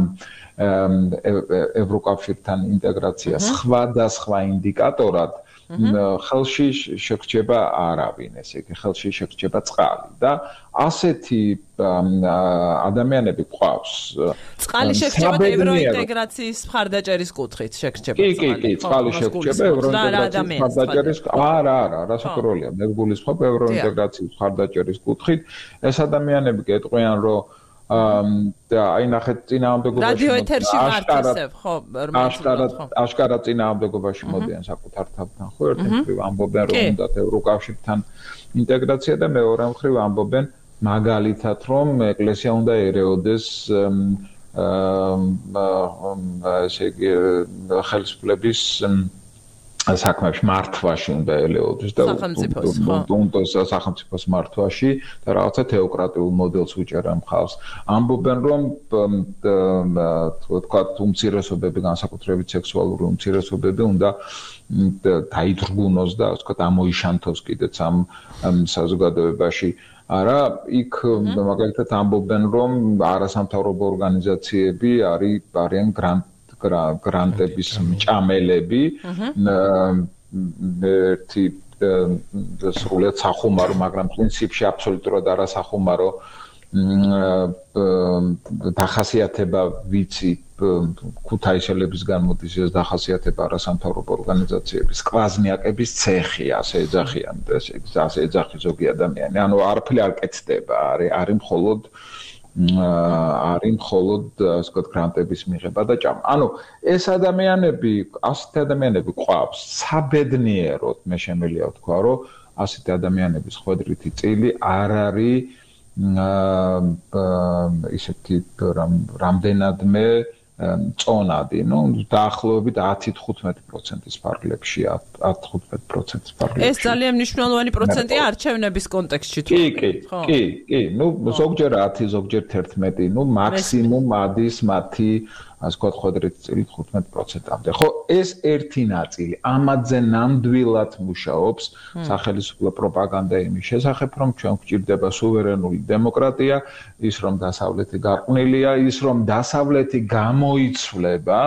S3: ევროკავშირთან ინტეგრაცია სხვადასხვა ინდიკატორად, ხელში შეგრჩება არავინ, ესე იგი, ხელში შეგრჩება წყალი და ასეთი ადამიანები ყავს.
S1: წყალი შეგრჩება ევროინტეგრაციის მხარდაჭერის კუთხით, შეგრჩება.
S3: კი, კი, კი, წყალი შეგრჩება ევროინტეგრაციის მხარდაჭერის. არა, არა, რასაკვირველია, მე გულისხმობ ევროინტეგრაციის მხარდაჭერის კუთხით. ეს ადამიანები გეტყვიან, რომ და აი ნახეთ წინააღმდეგობაში
S1: რადიო ეთერში ვართ ისევ ხო
S3: აშკარად აშკარად წინააღმდეგობაში მოდიან საკუთარ თავთან ხო ერთ მხრივ ამბობენ რომ უნდათ ევროკავშირთან ინტეგრაცია და მეორე მხრივ ამბობენ მაგალითად რომ ეკლესია უნდა ერეოდეს ესე იგი ხელისუფლების საქმეებში მართვაში უნდა ელეოდეს და უნდა სახელმწიფოს მართვაში და რაღაცა თეოკრატიულ მოდელს უჭერენ მხავს. ამბობენ რომ თქვათ უმცირესობები, განსაკუთრებით სექსუალური უმცირესობები უნდა დაიძრგუნოს და ასე ვთქვათ ამოიშანთოს კიდეც ამ საზოგადოებაში. არა, იქ მაგალითად ამბობენ რომ არასამთავრობო ორგანიზაციები არის არიან გრანტ გრანტების მჭამელები ერთი სრულიად სახუმარო, მაგრამ პრინციპში აბსოლუტურად არასახუმარო დახასიათება ვიცი ქუთაისელების გამოდის ეს დახასიათება არასამთავრობო ორგანიზაციების კვაზნიაკების ცეხი ასე ეძახიან და ასე ეძახი ზოგი ადამიანი. ანუ არაფერი არ კეთდება, არის არის მხოლოდ არის მხოლოდ ასე ვთქვათ გრანტების მიღება და ჭამა. ანუ ეს ადამიანები, ასეთი ადამიანები ყავს საბედნიეროდ, მე შემიძლია ვთქვა, რომ ასეთი ადამიანების ხვედრითი წილი არ არის ისეთი რამდენადმე წონადი, ну, დაახლოებით ათი თხუთმეტი პროცენტის ფარგლებში, ათი თხუთმეტი პროცენტის ფარგლებში.
S1: ეს ძალიან მნიშვნელოვანი პროცენტია არჩევნების კონტექსტში თუ
S3: კი, კი, კი, კი, ну, ზოგჯერ ათი, ზოგჯერ თერთმეტი, ну, მაქსიმუმ ადის მათი ასე ვთქვათ ხვედრითი წილი თხუთმეტ პროცენტამდე. ხო, ეს ერთი ნაწილი, ამაზე ნამდვილად მუშაობს სახელმწიფო პროპაგანდა იმის შესახებ, რომ ჩვენ გვჭირდება სუვერენული დემოკრატია, ის რომ დასავლეთი გარყვნილია, ის რომ დასავლეთი გამოიცვლება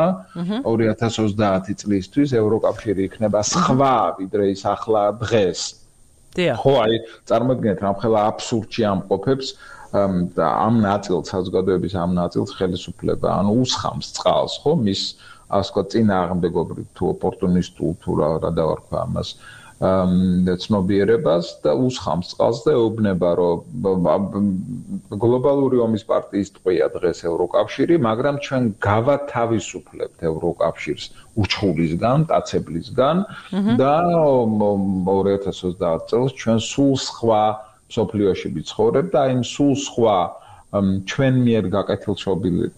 S3: ორი ათას ოცდაათი წლისთვის ევროკავშირი იქნება სხვა ვიდრე ის ახლა დღეს. ხო, აი, წარმოიდგინეთ, რამხელა აბსურდში ამყოფებს და ამ ნაწილს საზოგადოების ამ ნაწილს ხელისუფლება ანუ უსხამს წყალს ხო მის ასე ვთქვათ წინააღმდეგობრივ თუ ოპორტუნისტულ თუ რა რა დავარქვა ამას ცნობიერებას და უსხამს წყალს და ეუბნება რომ გლობალური ომის პარტიის ტყვია დღეს ევროკავშირი მაგრამ ჩვენ გავათავისუფლებთ ევროკავშირს უჩხულისგან დაცებლისგან და ორი ათას ოცდაათი წელს ჩვენ სულ სხვა სოფლიოში ვიცხოვრებ და იმ სულ სხვა ჩვენ მიერ გაკეთილშობილი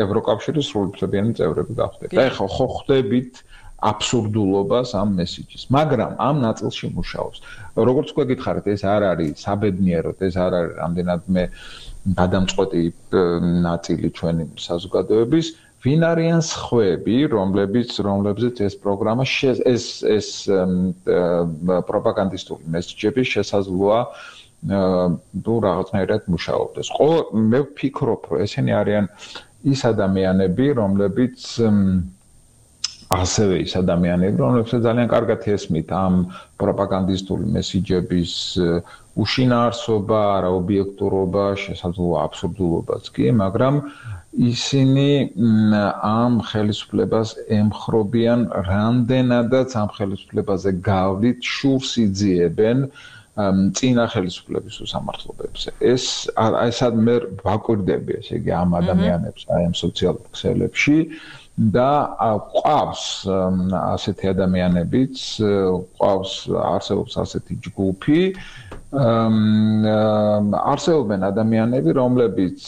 S3: ევროკავშირის სრულუფლებიანი წევრები გავხდეთ. და ეხლა ხო ხდებით აბსურდულობას ამ მესიჯის, მაგრამ ამ ნაწილში მუშაობს. როგორც გვეკითხარით, ეს არ არის საბედნიეროდ, ეს არ არის რამდენადმე გადამწყვეტი ნაწილი ჩვენი საზოგადოების. ვინ არიან სხვები, რომლებიც რომლებზეც ეს პროგრამა ეს ეს პროპაგანდისტული მესიჯები შესაძლოა თუ რაღაცნაირად მუშაობდეს. ყო მე ვფიქრობ, რომ ესენი არიან ის ადამიანები, რომლებიც ასევე ის ადამიანები, რომლებსაც ძალიან კარგად ესმით ამ პროპაგანდისტული მესიჯების უშინაარსობა, არაობიექტურობა, შესაძლოა აბსურდულობაც კი, მაგრამ ისინი ამ ხელისუფლებას ემხრობიან რამდენადაც ამ ხელისუფლებაზე გავლით შურს იძიებენ წინა ხელისუფლების უსამართლობებზე. ეს ესად მე ვაკვირდები, ესე იგი ამ ადამიანებს აი ამ სოციალურ ქსელებში და ყავს ასეთი ადამიანებიც, ყავს არსებობს ასეთი ჯგუფი, არსებობენ ადამიანები, რომლებიც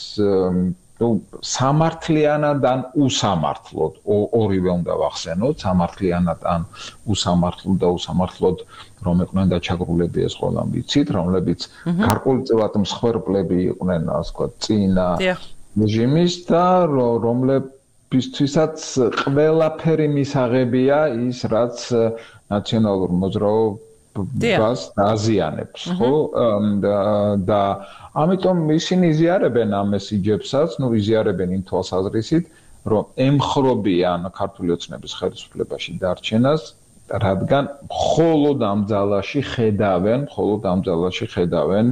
S3: ну სამართლიანად ან უსამართლოდ ორივე უნდა ვახსენოთ, სამართლიანად ან უსამართლოდ და უსამართლოდ რომ იყვნენ დაჩაგრულები ეს ყველამ ვიცით, რომლებიც გარკვეულწილად მსხვერპლები იყვნენ, ასე ვთქვათ, წინა რეჟიმის და რომლებისთვისაც ყველაფერი მისაღებია ის, რაც ნაციონალურ მოძრაობას დაზიანებს, ხო? და ამიტომ ისინი იზიარებენ ამ მესიჯებსაც, ну იზიარებენ იმ თვალსაზრისით, რომ ემხრობიან ქართული ოცნების ხელისუფლებაში დარჩენას, რადგან მხოლოდ ამ ძალაში ხედავენ, მხოლოდ ამ ძალაში ხედავენ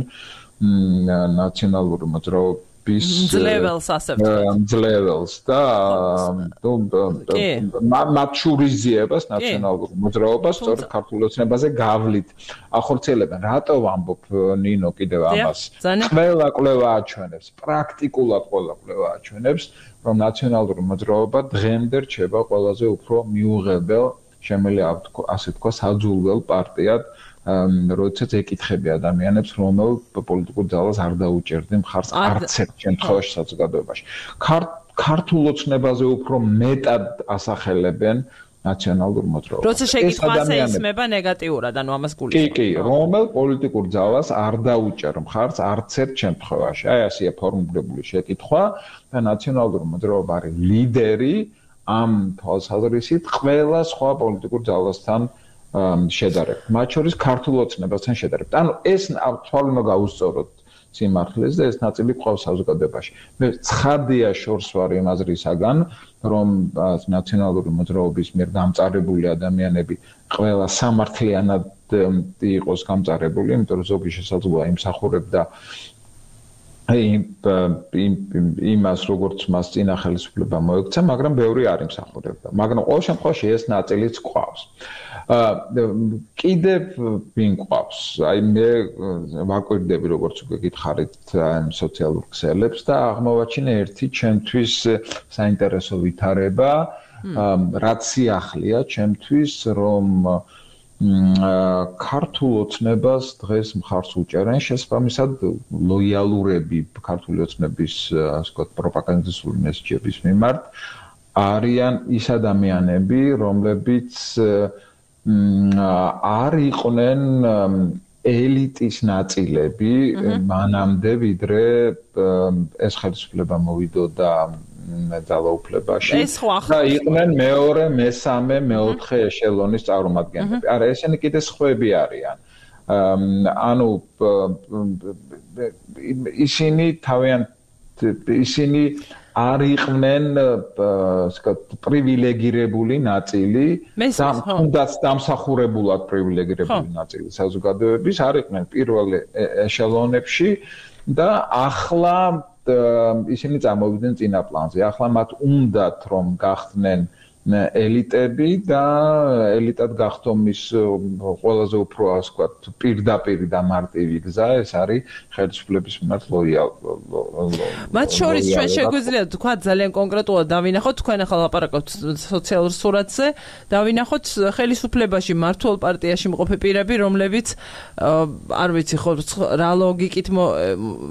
S3: ნაციონალური მოძრაობის
S1: ძლეველს ასე
S3: ვთქვათ ძლეველს და მათ შურიზიებას ნაციონალურ მოძრაობას სწორედ ქართულ ოცნებაზე გავლით ახორციელებენ. რატო ვამბობ ნინო კიდევ ამას? ყველა კვლევა აჩვენებს, პრაქტიკულად ყველა კვლევა აჩვენებს, რომ ნაციონალური მოძრაობა დღემდე რჩება ყველაზე უფრო მიუღებელ, შემიძლია ასე თქვა, საძულველ პარტიად, როდესაც ეკითხები ადამიანებს, რომელ პოლიტიკურ ძალას არ დაუჭერდი მხარს არც ერთ შემთხვევაში საზოგადოებაში. ქართულ ოცნებაზე უფრო მეტად ასახელებენ ნაციონალურ მოძრაობას.
S1: როცა შეკითხვა ასე ისმება ნეგატიურად, ანუ ამას გულისხმობ.
S3: კი, კი, რომელ პოლიტიკურ ძალას არ დაუჭერ მხარს არც ერთ შემთხვევაში. აი ასეა ფორმულირებული შეკითხვა და ნაციონალური მოძრაობა არის ლიდერი ამ თვალსაზრისით ყველა სხვა პოლიტიკურ ძალასთან შედარებით. მათ შორის ქართულ ოცნებასთან შედარებით. ანუ ეს თვალი უნდა გაუსწოროთ სიმართლეს და ეს ნაწილი ყავს საზოგადოებაში. მე ცხადია შორს ვარ იმ აზრისაგან, რომ ნაციონალური მოძრაობის მიერ გამწარებული ადამიანები ყველა სამართლიანად იყოს გამწარებული, იმიტომ რომ ზოგი შესაძლოა იმსახურებდა იმას, როგორც მას წინა ხელისუფლება მოექცა, მაგრამ ბევრი არ იმსახურებდა. მაგრამ ყოველ შემთხვევაში ეს ნაწილიც ყავს. კიდევ ვინ ყავს? აი მე ვაკვირდები, როგორც უკვე გითხარით, სოციალურ ქსელებს და აღმოვაჩინე ერთი ჩემთვის საინტერესო ვითარება, რაც სიახლეა ჩემთვის, რომ ქართულ ოცნებას დღეს მხარს უჭერენ შესაბამისად ლოიალურები ქართული ოცნების ასე ვთქვათ პროპაგანდისტული მესეჯების მიმართ არიან ის ადამიანები, რომლებიც არ იყვნენ ელიტის ნაწილები მანამდე, ვიდრე ეს ხელისუფლება მოვიდოდა ძალაუფლებაში და იყვნენ მეორე, მესამე, მეოთხე ეშელონის წარმომადგენლები. არა, ესენი კიდე სხვები არიან. ანუ ისინი თავიანთ ისინი არ იყვნენ პრივილეგირებული ნაწილი და თუნდაც დამსახურებულად პრივილეგირებული ნაწილი საზოგადოების არ იყვნენ პირველ ეშელონებში და ახლა ისინი წამოვიდნენ წინა პლანზე. ახლა მათ უნდათ რომ გახდნენ ელიტები და ელიტად გახდომის ყველაზე უფრო ასე ვთქვათ პირდაპირ და მარტივი გზა ეს არის ხელისუფლების მიმართ ლოიალობა.
S1: მათ შორის ჩვენ შეგვიძლია თქვა ძალიან კონკრეტულად დავინახოთ თქვენ ახლა ლაპარაკობთ სოციალურ სურათზე, დავინახოთ ხელისუფლებაში მართულ პარტიაში მყოფი პირები, რომლებიც არ ვიცი ხო რა ლოგიკით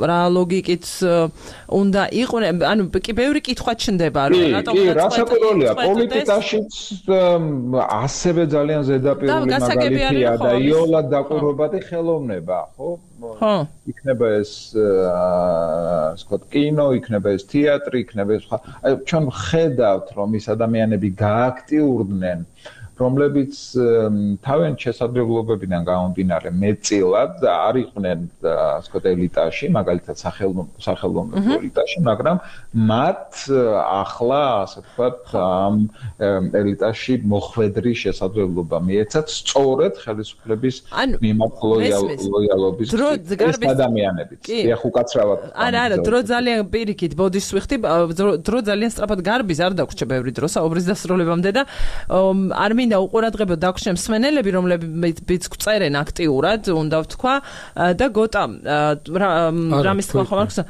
S1: რა ლოგიკით უნდა იყვნენ, ანუ კი ბევრი კითხვა ჩნდება რომ
S3: რატომ კი რა საკურველია პოლიტიკაშიც ასევე ძალიან ზედაპირული მაგალითია და იოლად დაკვირვებადი ხელოვნება, ხო?
S1: ხო.
S3: იქნება ეს ასე ვთქვათ კინო, იქნება ეს თეატრი, იქნება ეს სხვა. აი ჩვენ ხედავთ რომ ის ადამიანები გააქტიურდნენ რომლებიც თავიანთ შესაძლებლობებიდან გამომდინარე მეტწილად არ იყვნენ ასე ვთქვათ ელიტაში, მაგალითად სახელმწიფო ელიტაში, მაგრამ მათ ახლა ასე ვთქვათ ამ ელიტაში მოხვედრის შესაძლებლობა მიეცათ სწორედ ხელისუფლების მიმართ ლოიალობის ადამიანებიც. ეხ უკაცრავად.
S1: არა, არა, დრო ძალიან პირიქით ბოდის ვიხდი, დრო ძალიან სწრაფად გარბის, არ დაგვრჩა ბევრი დრო საუბრის დასრულებამდე და არ მინდა უყურადღებოდ დაგვრჩენ მსმენელები, რომლებიც წერენ აქტიურად, უნდა ვთქვა და გოტა რამის თქვა ხომ არ გსა.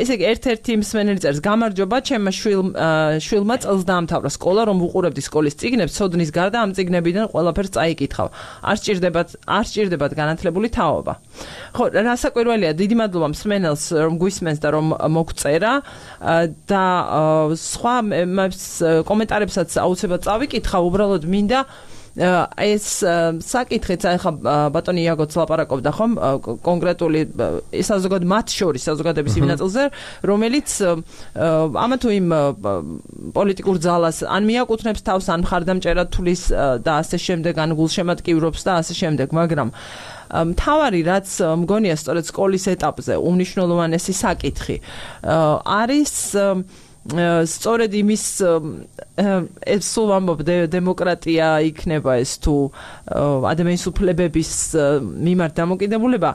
S1: ესე იგი ერთ-ერთი მსმენელი წერს გამარჯობა, ჩემმა შვილმა წელს დაამთავრა სკოლა, რომ ვუყურებდი სკოლის წიგნებს, ცოდნის გარდა ამ წიგნებიდან ყველაფერს წაიკითხავ. არ სჭირდებათ, არ სჭირდებათ განათლებული თაობა. ხო, რასაკვირველია, დიდი მადლობა მსმენელს, რომ გვისმენს და რომ მოგწერა და სხვა კომენტარებსაც აუცილებლად წავიკითხავ, უბრალოდ მინდა ეს საკითხიც ახლა ბატონი იაგოც ლაპარაკობდა ხომ კონკრეტული საზოგადოების მათ შორის საზოგადოების იმ ნაწილზე, რომელიც ამა თუ იმ პოლიტიკურ ძალას ან მიაკუთვნებს თავს, ან მხარდამჭერად თulis და ასე შემდეგ, ან გულშემატკივრობს და ასე შემდეგ, მაგრამ მთავარი რაც მგონია სწორედ სკოლის ეტაპზე უმნიშვნელოვანესი საკითხი არის სწორედ იმის ეს სულ ვამბობ დემოკრატია იქნება ეს თუ ადამიანის უფლებების მიმართ დამოკიდებულება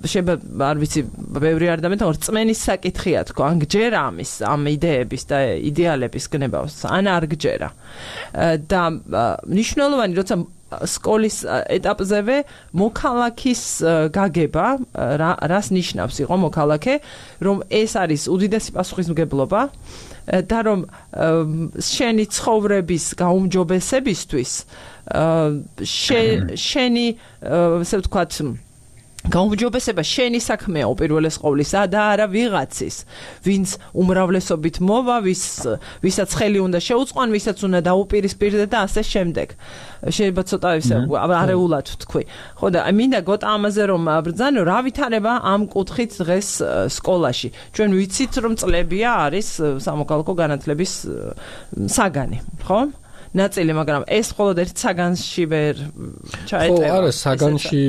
S1: შეიძლება არ ვიცი ბევრი ადამიანი თორ წმენის საკითხია თქო ან გჯერა ამის ამ იდეების და იდეალების გნებავს ან არ გჯერა და მნიშვნელოვანი როცა სკოლის ეტაპზევე მოქალაქის გაგება რას ნიშნავს იყო მოქალაქე რომ ეს არის უდიდესი პასუხისმგებლობა და რომ შენი ცხოვრების გაუმჯობესებისთვის შენი ესე ვთქვათ გაუმჯობესება შენი საქმეა უპირველეს ყოვლისა და არა ვიღაცის ვინც უმრავლესობით მოვა ვის ვისაც ხელი უნდა შეუწყონ ვისაც უნდა დაუპირისპირდე და ასე შემდეგ შეიძლება ცოტა ისე არეულად ვთქვი ხო და მინდა გოტა ამაზე რომ ბრძანო რა ვითარება ამ კუთხით დღეს სკოლაში ჩვენ ვიცით რომ წლებია არის სამოქალაქო განათლების საგანი ხო ნაწილი, მაგრამ ეს მხოლოდ ერთ საგანში ვერ ჩაეტევა.
S2: ხო, არა, საგანში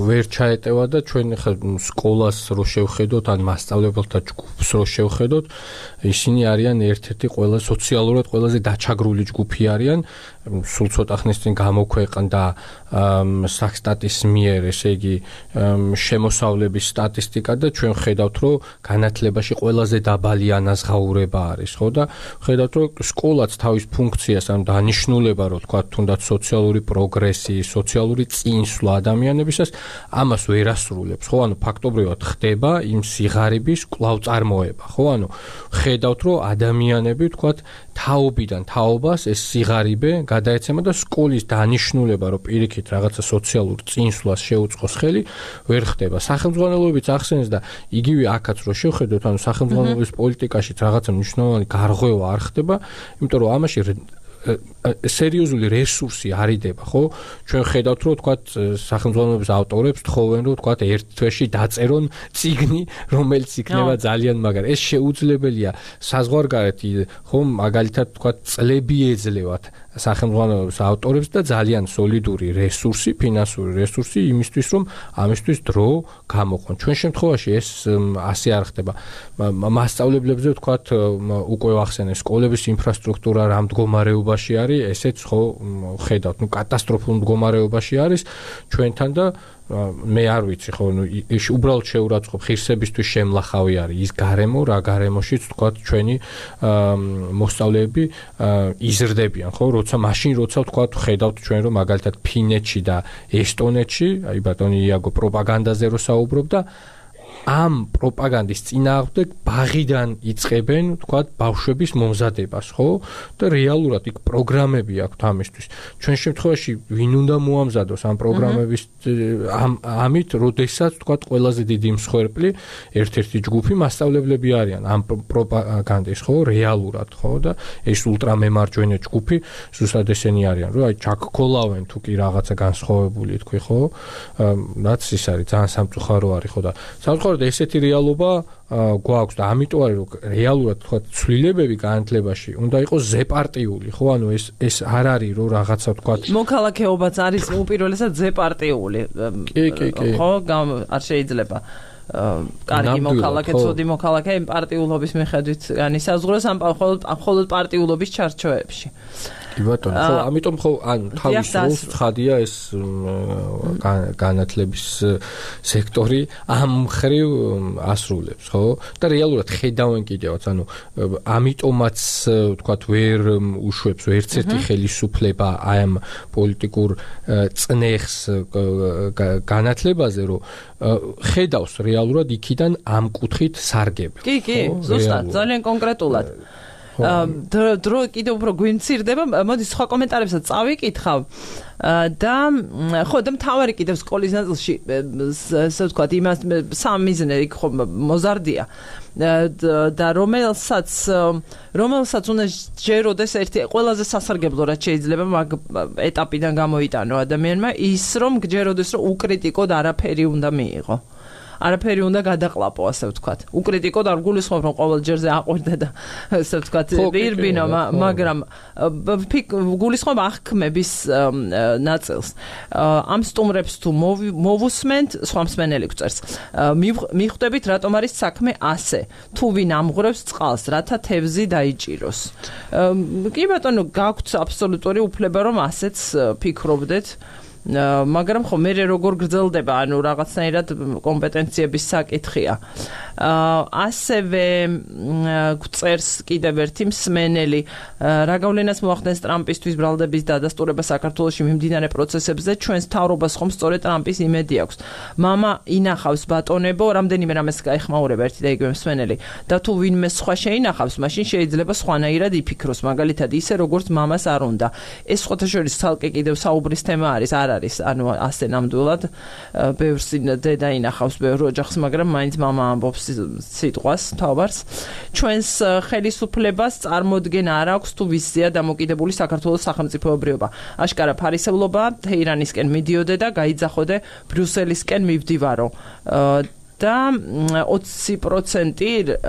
S2: ვერ ჩაეტევა და ჩვენ ხა სკოლას რო შევხედოთ, ან მასწავლებელთა ჯგუფს რო შევხედოთ, ისინი არიან ერთ-ერთი ყველა სოციალურად ყველაზე დაჩაგრული ჯგუფი არიან. სულ ცოტა ხნის წინ გამოქვეყნდა საქსტატის მიერ, ესე იგი, შემოსავლების სტატისტიკა და ჩვენ ხედავთ, რომ განათლებაში ყველაზე დაბალი ანაზღაურება არის, ხო და ხედავთ, რომ სკოლაც თავის ფუნქციას ან დანიშნულება, რო თქვა, თუნდაც სოციალური პროგრესი, სოციალური წინსვლა ადამიანებისას, ამას ვერ ასრულებს, ხო? ანუ ფაქტობრივად ხდება იმ სიღარიბის კვლავწარმოება, ხო? ანუ ხედავთ, რომ ადამიანები, თქვა, თაობიდან თაობას ეს სიღარიბე გადაეცემა და სკოლის დანიშნულება, რომ პირიქით რაღაცა სოციალურ წინსვლას შეუწყოს ხელი, ვერ ხდება. სახელმძღვანელოებიც ახსენეს და იგივე აქაც რო შევხედოთ, ანუ სახელმძღვანელოების პოლიტიკაშიც რაღაცა მნიშვნელოვანი გარღვევა არ ხდება, იმიტომ რომ ამაში სერიოზული რესურსი არიდება, ხო? ჩვენ ხედავთ, რომ თქვა სახელმძღვანელოების ავტორებს თხოვენ, რომ თქვა ერთ თვეში დაწერონ წიგნი, რომელიც იქნება ძალიან მაგარი. ეს შეუძლებელია საზღვარგარეთ, ხო, მაგალითად თქვა წლები ეძლევათ სახელმძღვანელოების ავტორებს და ძალიან სოლიდური რესურსი, ფინანსური რესურსი იმისთვის, რომ ამისთვის დრო გამოყონ. ჩვენ შემთხვევაში ეს ასე არ ხდება. მასწავლებლებზე თქვათ უკვე ვახსენე სკოლების ინფრასტრუქტურა რა მდგომარეობაში არის, ესეც ხო ხედავთ, ნუ კატასტროფულ მდგომარეობაში არის ჩვენთან და მე არ ვიცი ხო ნუ უბრალოდ შეურაცხყოფ ღირსებისთვის შემლახავი არის ის გარემო რა გარემოშიც თქვა ჩვენი მოსწავლეები იზრდებიან ხო როცა მაშინ როცა თქვა ხედავთ ჩვენ რომ მაგალითად ფინეთში და ესტონეთში აი ბატონი იაგო პროპაგანდაზე რო საუბრობდა ამ პროპაგანდის წინააღმდეგ ბაღიდან იწყებენ, თქვა, ბავშვების მომზადებას, ხო? და რეალურად იქ პროგრამები აქვთ ამისთვის. ჩვენ შემთხვევაში ვინ უნდა მოამზადოს ამ პროგრამების ამ ამით, როდესაც, თქვა, ყველაზე დიდი მსხვერპლი ერთ-ერთი ჯგუფი მასწავლებლები არიან ამ პროპაგანდის, ხო? რეალურად, ხო? და ეს ულტრამემარჯვენე ჯგუფი ზუსტად ესენი არიან, რომ აი ჩაქქოლავენ თუ კი რაღაცა განსხვავებული თქვი, ხო? რაც ის არის, ძალიან სამწუხარო არის, ხო და სამწუხაროდ ესეთი რეალობა გვაქვს და ამიტომ არის რომ რეალურად თქვა ცვლილებები განათლებაში უნდა იყოს ზეპარტიული ხო ანუ ეს ეს არ არის რომ რაღაცა თქვა
S1: მოქალაქეობაც არის უპირველესად ზეპარტიული ხო არ შეიძლება კარგი მოქალაქე ცუდი მოქალაქე იმ პარტიულობის მიხედვით განისაზღვროს ამ მხოლოდ პარტიულობის ჩარჩოებში
S2: კი ბატონო ხო ამიტომ ხო ან თავის როლს ცხადია ეს განათლების სექტორი ამ მხრივ ასრულებს ხო და რეალურად ხედავენ კიდევაც ანუ ამიტომაც ვთქვათ ვერ უშვებს ერთ ერთი ხელისუფლება აი ამ პოლიტიკურ წნეხს განათლებაზე რომ ხედავს რეალურად იქიდან ამ კუთხით სარგებლობს
S1: კი კი ზუსტად ძალიან კონკრეტულად დრო კიდევ უფრო გვიმცირდება მოდი სხვა კომენტარებსაც წავიკითხავ და ხო და მთავარი კიდევ სკოლის ნაწილში ასე ვთქვათ იმას სამ მიზნე იქ ხო მოზარდია და რომელსაც რომელსაც უნდა ჯეროდეს ერთი ყველაზე სასარგებლო რაც შეიძლება მაგ ეტაპიდან გამოიტანო ადამიანმა ის რომ ჯეროდეს რომ უკრიტიკოდ არაფერი უნდა მიიღო არაფერი უნდა გადაყლაპო, ასე ვთქვათ. უკრიტიკოდ არ გულისხმობ, რომ ყოველ ჯერზე აყვირდა და ასე ვთქვათ, ირბინო, მაგრამ გულისხმობ აღქმების ნაწილს. ამ სტუმრებს თუ მოვუსმენთ, სხვა მსმენელი გვწერს. მიხვდებით, რატომ არის საქმე ასე? თუ ვინ ამღვრევს წყალს, რათა თევზი დაიჭიროს. კი ბატონო, გაქვთ აბსოლუტური უფლება, რომ ასეც ფიქრობდეთ. მაგრამ ხო მე როგორ გრძელდება, ანუ რაღაცნაირად კომპეტენციების საკითხია. ასევე გვწერს კიდევ ერთი მსმენელი, რა გავლენას მოახდენს ტრამპისთვის ბრალდების დადასტურება საქართველოში მიმდინარე პროცესებზე, ჩვენს მთავრობას ხომ სწორედ ტრამპის იმედი აქვს. მამა ინახავს ბატონებო, რამდენიმე რამეს გაეხმაურება ერთი და იგივე მსმენელი და თუ ვინმე სხვა შეინახავს, მაშინ შეიძლება სხვანაირად იფიქროს, მაგალითად ისე როგორც მამას არ უნდა. ეს სხვათა შორის ცალკე კიდევ საუბრის თემა არის, არ არის, ანუ ასე ნამდვილად ბევრს დედა ინახავს ბევრ ოჯახს, მაგრამ მაინც მამა ამბობს სიტყვას, თავარს. ჩვენს ხელისუფლებას წარმოდგენა არ აქვს თუ ვისზეა დამოკიდებული საქართველოს სახელმწიფოებრიობა. აშკარა ფარისევლობა თეირანისკენ მიდიოდე და გაიძახოდე ბრიუსელისკენ მივდივარო. და ოცი პროცენტი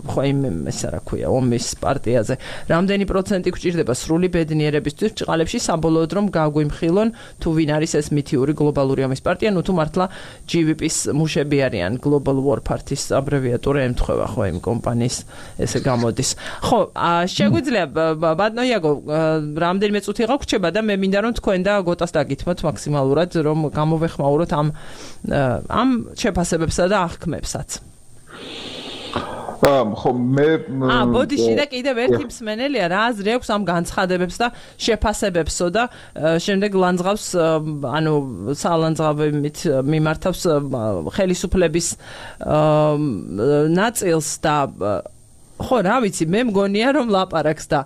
S1: ხო იმ ესა რა ქვია ომის პარტიაზე. რამდენი პროცენტი გვჭირდება სრული ბედნიერებისთვის ბრჭყალებში საბოლოოდ რომ გაგვიმხილონ თუ ვინ არის ეს მითიური გლობალური ომის პარტია, ნუ თუ მართლა ჯი ვი პის მუშები არიან, Global War Party-ის აბრევიატურა ემთხვევა ხო იმ კომპანიის ესე გამოდის. ხო, შეგვიძლია ბატონო იაგო, რამდენიმე წუთი გაგვრჩება და მე მინდა რომ თქვენ და გოტას დაგითმოთ მაქსიმალურად რომ გამოვეხმაუროთ ამ ამ შეფასებებსა და აღქმებსაც.
S3: ხო მე
S1: აა ბოდიში და კიდევ ერთი მსმენელია რა აზრი აქვს ამ განცხადებებს და შეფასებებსო და შემდეგ ლანძღავს ანუ სალანძღავებით მიმართავს ხელისუფლების ნაწილს და ხო რა ვიცი მე მგონია რომ ლაპარაკს და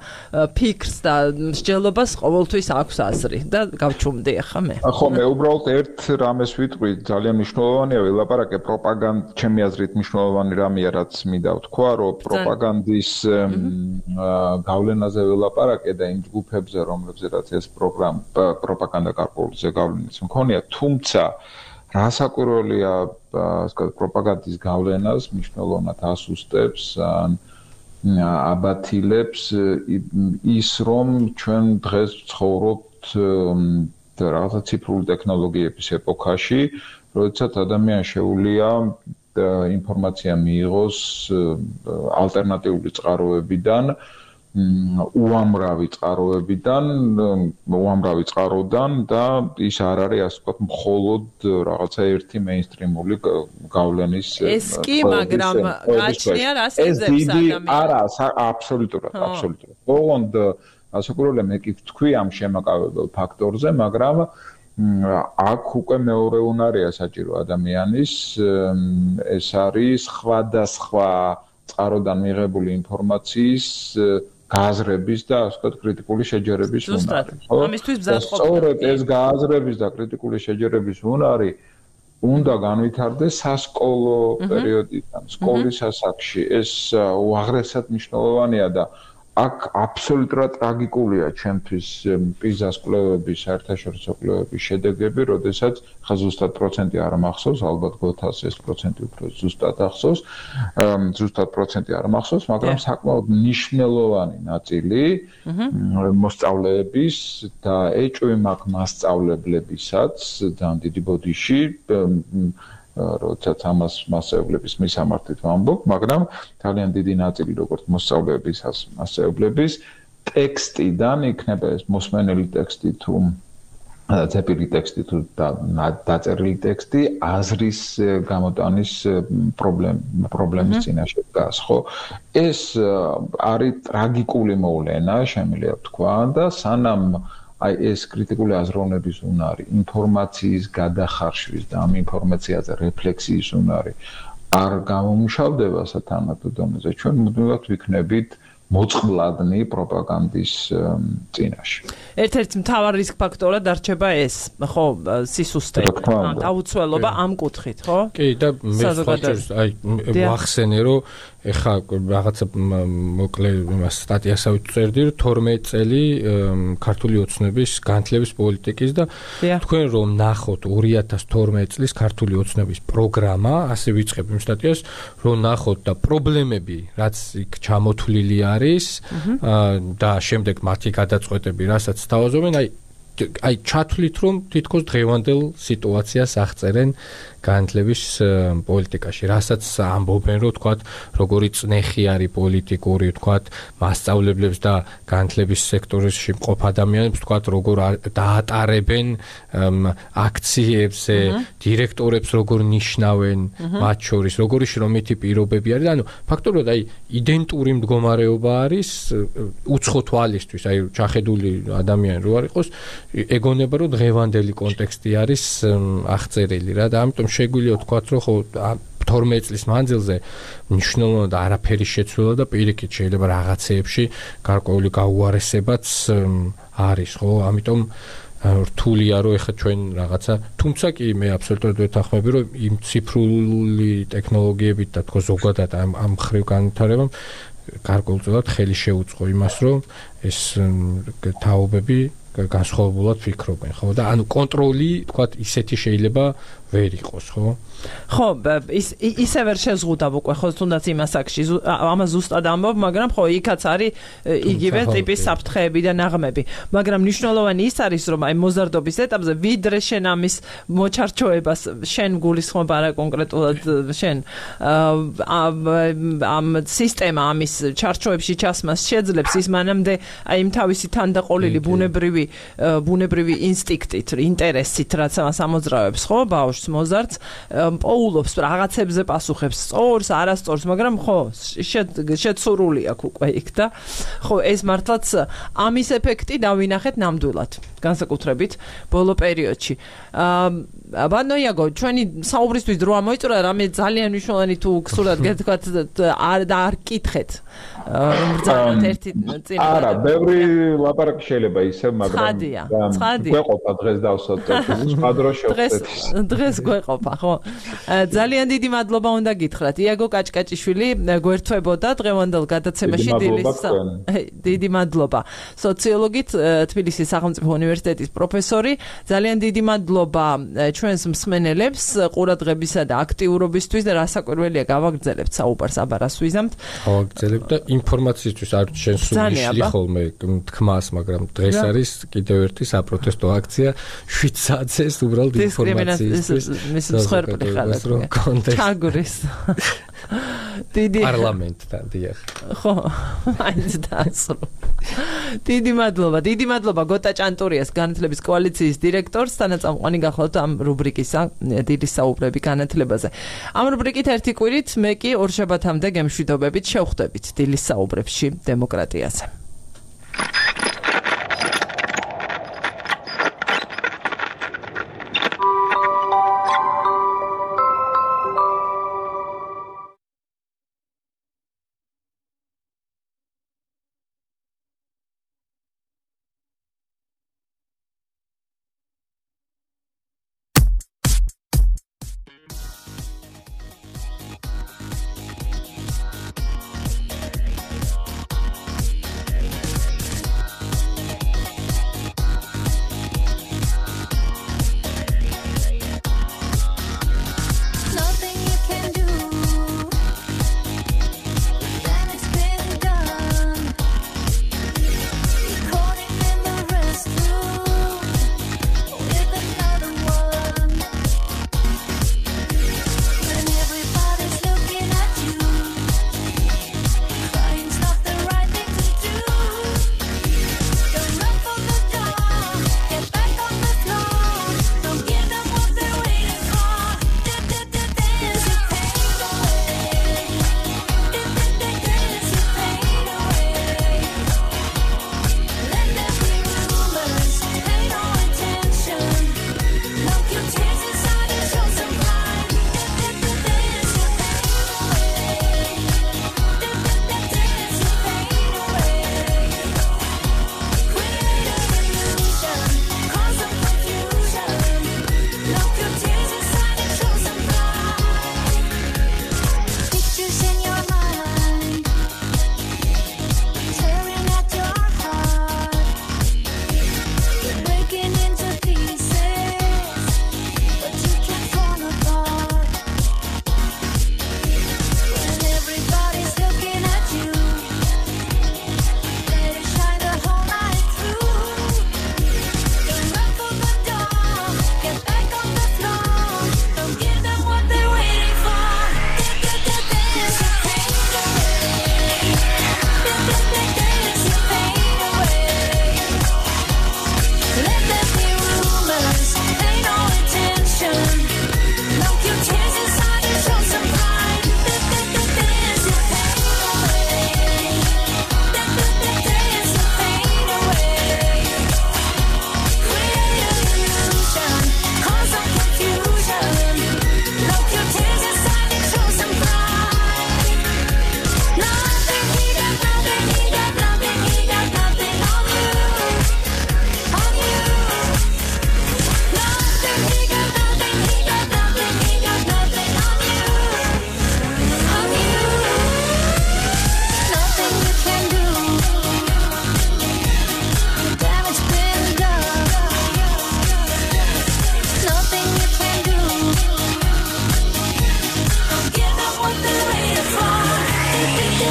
S1: ფიქრს და მსჯელობას ყოველთვის აქვს აზრი და გავჩუმდი ახლა მე
S3: ხო მე უბრალოდ ერთ რამეს ვიტყვი ძალიან მნიშვნელოვანია ვილაპარაკე პროპაგანდა ჩემი აზრით მნიშვნელოვანი რამეა რაც მინდა ვთქვა რომ პროპაგანდის გავლენაზე ვილაპარაკე და იმ ჯგუფებზე რომლებზეც ეს პროგრამა პროპაგანდა გარკვეულზე გავლენას მქონია თუმცა რასაკვირველია ასე ვთქვათ პროპაგანდის გავლენას მნიშვნელოვნად ასუსტებს ან აბათილებს ის რომ ჩვენ დღეს ვცხოვრობთ რაღაცა ციფრული ტექნოლოგიების ეპოქაში, როდესაც ადამიანს შეუძლია ინფორმაცია მიიღოს ალტერნატიული წყაროებიდან, უამრავი წყაროებიდან, უამრავი წყაროდან და ის არ არის ასე ვთქვათ მხოლოდ რაღაცა ერთი მეინსტრიმული გავლენის
S1: ეს კი, მაგრამ გაჩნია რას ეზებს ადამიანს.
S3: არა, აბსოლუტურად, აბსოლუტურად. ოღონდ ასაკურველია მე კი ვთქვი ამ შემაკავებელ ფაქტორზე, მაგრამ აქ უკვე მეორე უნარია საჭირო ადამიანის ეს არის სხვადასხვა წყაროდან მიღებული ინფორმაციის გააზრების და ასე ვთქვათ კრიტიკული შეჯერების უნარი.
S1: ამისთვის ბზად ყოფნა.
S3: სწორედ ეს გააზრების და კრიტიკული შეჯერების უნარი უნდა განვითარდეს სასკოლო პერიოდიდან, სკოლის ასაკში. ეს უაღრესად მნიშვნელოვანია და აქ აბსოლუტურად ტრაგიკულია ჩემთვის პიზას კვლევების, საერთაშორისო კვლევების შედეგები, როდესაც ხა ზუსტად პროცენტი არ მახსოვს, ალბათ გოთას ეს პროცენტი უფრო ზუსტად ახსოვს, ზუსტად პროცენტი არ მახსოვს, მაგრამ საკმაოდ მნიშვნელოვანი ნაწილი მოსწავლეების და ეჭვი მაქვს მასწავლებლებისაც ძალიან დიდი ბოდიში როდესაც ამას მასწავლებლების მისამართით ვამბობ, მაგრამ ძალიან დიდი ნაწილი როგორც მოსწავლეების, მასწავლებლების ტექსტიდან იქნება ეს მოსმენელი ტექსტი თუ დაწერილი ტექსტი თუ დაწერილი ტექსტი აზრის გამოტანის პრობლემის წინაშე დგას, ხო? ეს არის ტრაგიკული მოვლენა, შემიძლია ვთქვა და სანამ აი ეს კრიტიკული აზროვნების უნარი, ინფორმაციის გადახარშვის და ამ ინფორმაციაზე რეფლექსიის უნარი არ გამომუშავდება სათანადო დონეზე, ჩვენ მუდმივად ვიქნებით მოწყვლადნი პროპაგანდის წინაშე.
S1: ერთ-ერთი მთავარი რისკ ფაქტორად დარჩება ეს, ხო, სისუსტე, დაუცველობა ამ კუთხით, ხო?
S2: კი, და მე ხალხს აი ვახსენე, რომ ეხა რაღაცა მოკლე სტატიასაც წერდი, რომ თორმეტ წელი ქართული ოცნების განათლების პოლიტიკის და თქვენ რომ ნახოთ ორი ათას თორმეტ წლის ქართული ოცნების პროგრამა, ასე ვიწყებ იმ სტატიას, რომ ნახოთ და პრობლემები, რაც იქ ჩამოთვლილი არის და შემდეგ მათი გადაწყვეტები, რასაც თავაზობენ, აი აი ჩათვლით რომ თითქოს დღევანდელ სიტუაციას აღწერენ განათლების პოლიტიკაში, რასაც ამბობენ, რომ თქვათ, როგორი წნეხი არის პოლიტიკური, თქვათ, მასწავლებლებს და განათლების სექტორში მყოფ ადამიანებს, თქვათ, როგორ დაატარებენ აქციებზე, დირექტორებს როგორ ნიშნავენ, მათ შორის, როგორი შრომითი პირობები არის, ანუ ფაქტობრივად აი იდენტური მდგომარეობა არის უცხო თვალისთვის, აი ჩახედული ადამიანი რო არ იყოს, ეგონება რომ დღევანდელი კონტექსტი არის აღწერილი რა და ამიტომ შეგვიძლია ვთქვათ რომ ხო თორმეტ წლის მანძილზე მნიშვნელოვნად არაფერი შეცვლა და პირიქით შეიძლება რაღაცეებში გარკვეული გაუარესებაც არის ხო ამიტომ რთულია რომ ეხლა ჩვენ რაღაცა თუმცა კი მე აბსოლუტურად ვეთანხმები რომ იმ ციფრული ტექნოლოგიებით და თქო ზოგადად ამ ამ ხრივ განვითარებამ გარკვეულწილად ხელი შეუწყო იმას რომ ეს თაობები განსხვავებულად ფიქრობენ, ხო? და ანუ კონტროლი, თქვათ, ისეთი შეიძლება ვერ იყოს, ხო?
S1: ხო, ის ისე ვერ შეზღუდავ უკვე, ხო, თუნდაც იმას აქში, ამას ზუსტად ამბობ, მაგრამ ხო, იქაც არის იგივე ტიპის საფრთხეები და ნაღმები. მაგრამ მნიშვნელოვანი ის არის, რომ აი მოზარდობის ეტაპზე ვიდრე შენ ამის მოჩარჩოებას შენ გულისხმობ არა კონკრეტულად შენ ამ სისტემა ამის ჩარჩოებში ჩასმას შეძლებს ის მანამდე აი იმ თავისი თანდაყოლილი ბუნებრივი ბუნებრივი ინსტინქტით, ინტერესით, რაც ამოძრავებს, ხო, ბავშვს, მოზარდს, პოულობს რაღაცებზე პასუხებს, სწორს, არასწორს, მაგრამ ხო, შეცურული აქვს უკვე იქ და ხო, ეს მართლაც ამის ეფექტი დავინახეთ ნამდვილად, განსაკუთრებით ბოლო პერიოდში. ბანო იაგო, ჩვენი საუბრისთვის დრო ამოიწურა, რამე ძალიან მნიშვნელოვანი თუ გსურათ გეთქვათ არ და არ კითხეთ. ბრძანოთ ერთი წინ.
S3: არა, ბევრი ლაპარაკი შეიძლება ისე, მაგრამ
S1: გვეყოფა
S3: დღეს დავსვათ, სხვა დროს შევხვდეთ.
S1: დღეს გვეყოფა, ხო. ძალიან დიდი მადლობა უნდა გითხრათ. იაგო კაჭკაჭიშვილი გვერთვებოდა დღევანდელ გადაცემაში დილის. დიდი მადლობა. სოციოლოგით თბილისის სახელმწიფო უნივერსიტეტის პროფესორი. ძალიან დიდი მადლობა ჩვენს მსმენელებს ყურადღებისა და აქტიურობისთვის და რასაკვირველია გავაგრძელებთ საუბარს აბარას ვიზამთ.
S2: გავაგრძელებთ და ინფორმაციისთვის არ ჩვენ სულიშლი ხოლმე თქმას, მაგრამ დღეს არის კიდევ ერთი საპროტესტო აქცია შვიდ საათზე უბრალოდ ინფორმაციისთვის.
S1: მის მსხვერპლი ხალხი. ჩაგურის. დიდი
S2: პარლამენტთან დიახ.
S1: ხო, მაინც დაასრულა. დიდი მადლობა, დიდი მადლობა გოტა ჭანტურიას განათლების კოალიციის დირექტორს, თანაწამყვანი გახლავთ ამ რუბრიკისა დიდი საუბრები განათლებაზე. ამ რუბრიკით ერთი კვირით მე კი ორშაბათამდე გემშვიდობებით შევხვდებით დილის საუბრებში დემოკრატიაზე.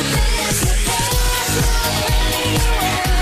S4: This is the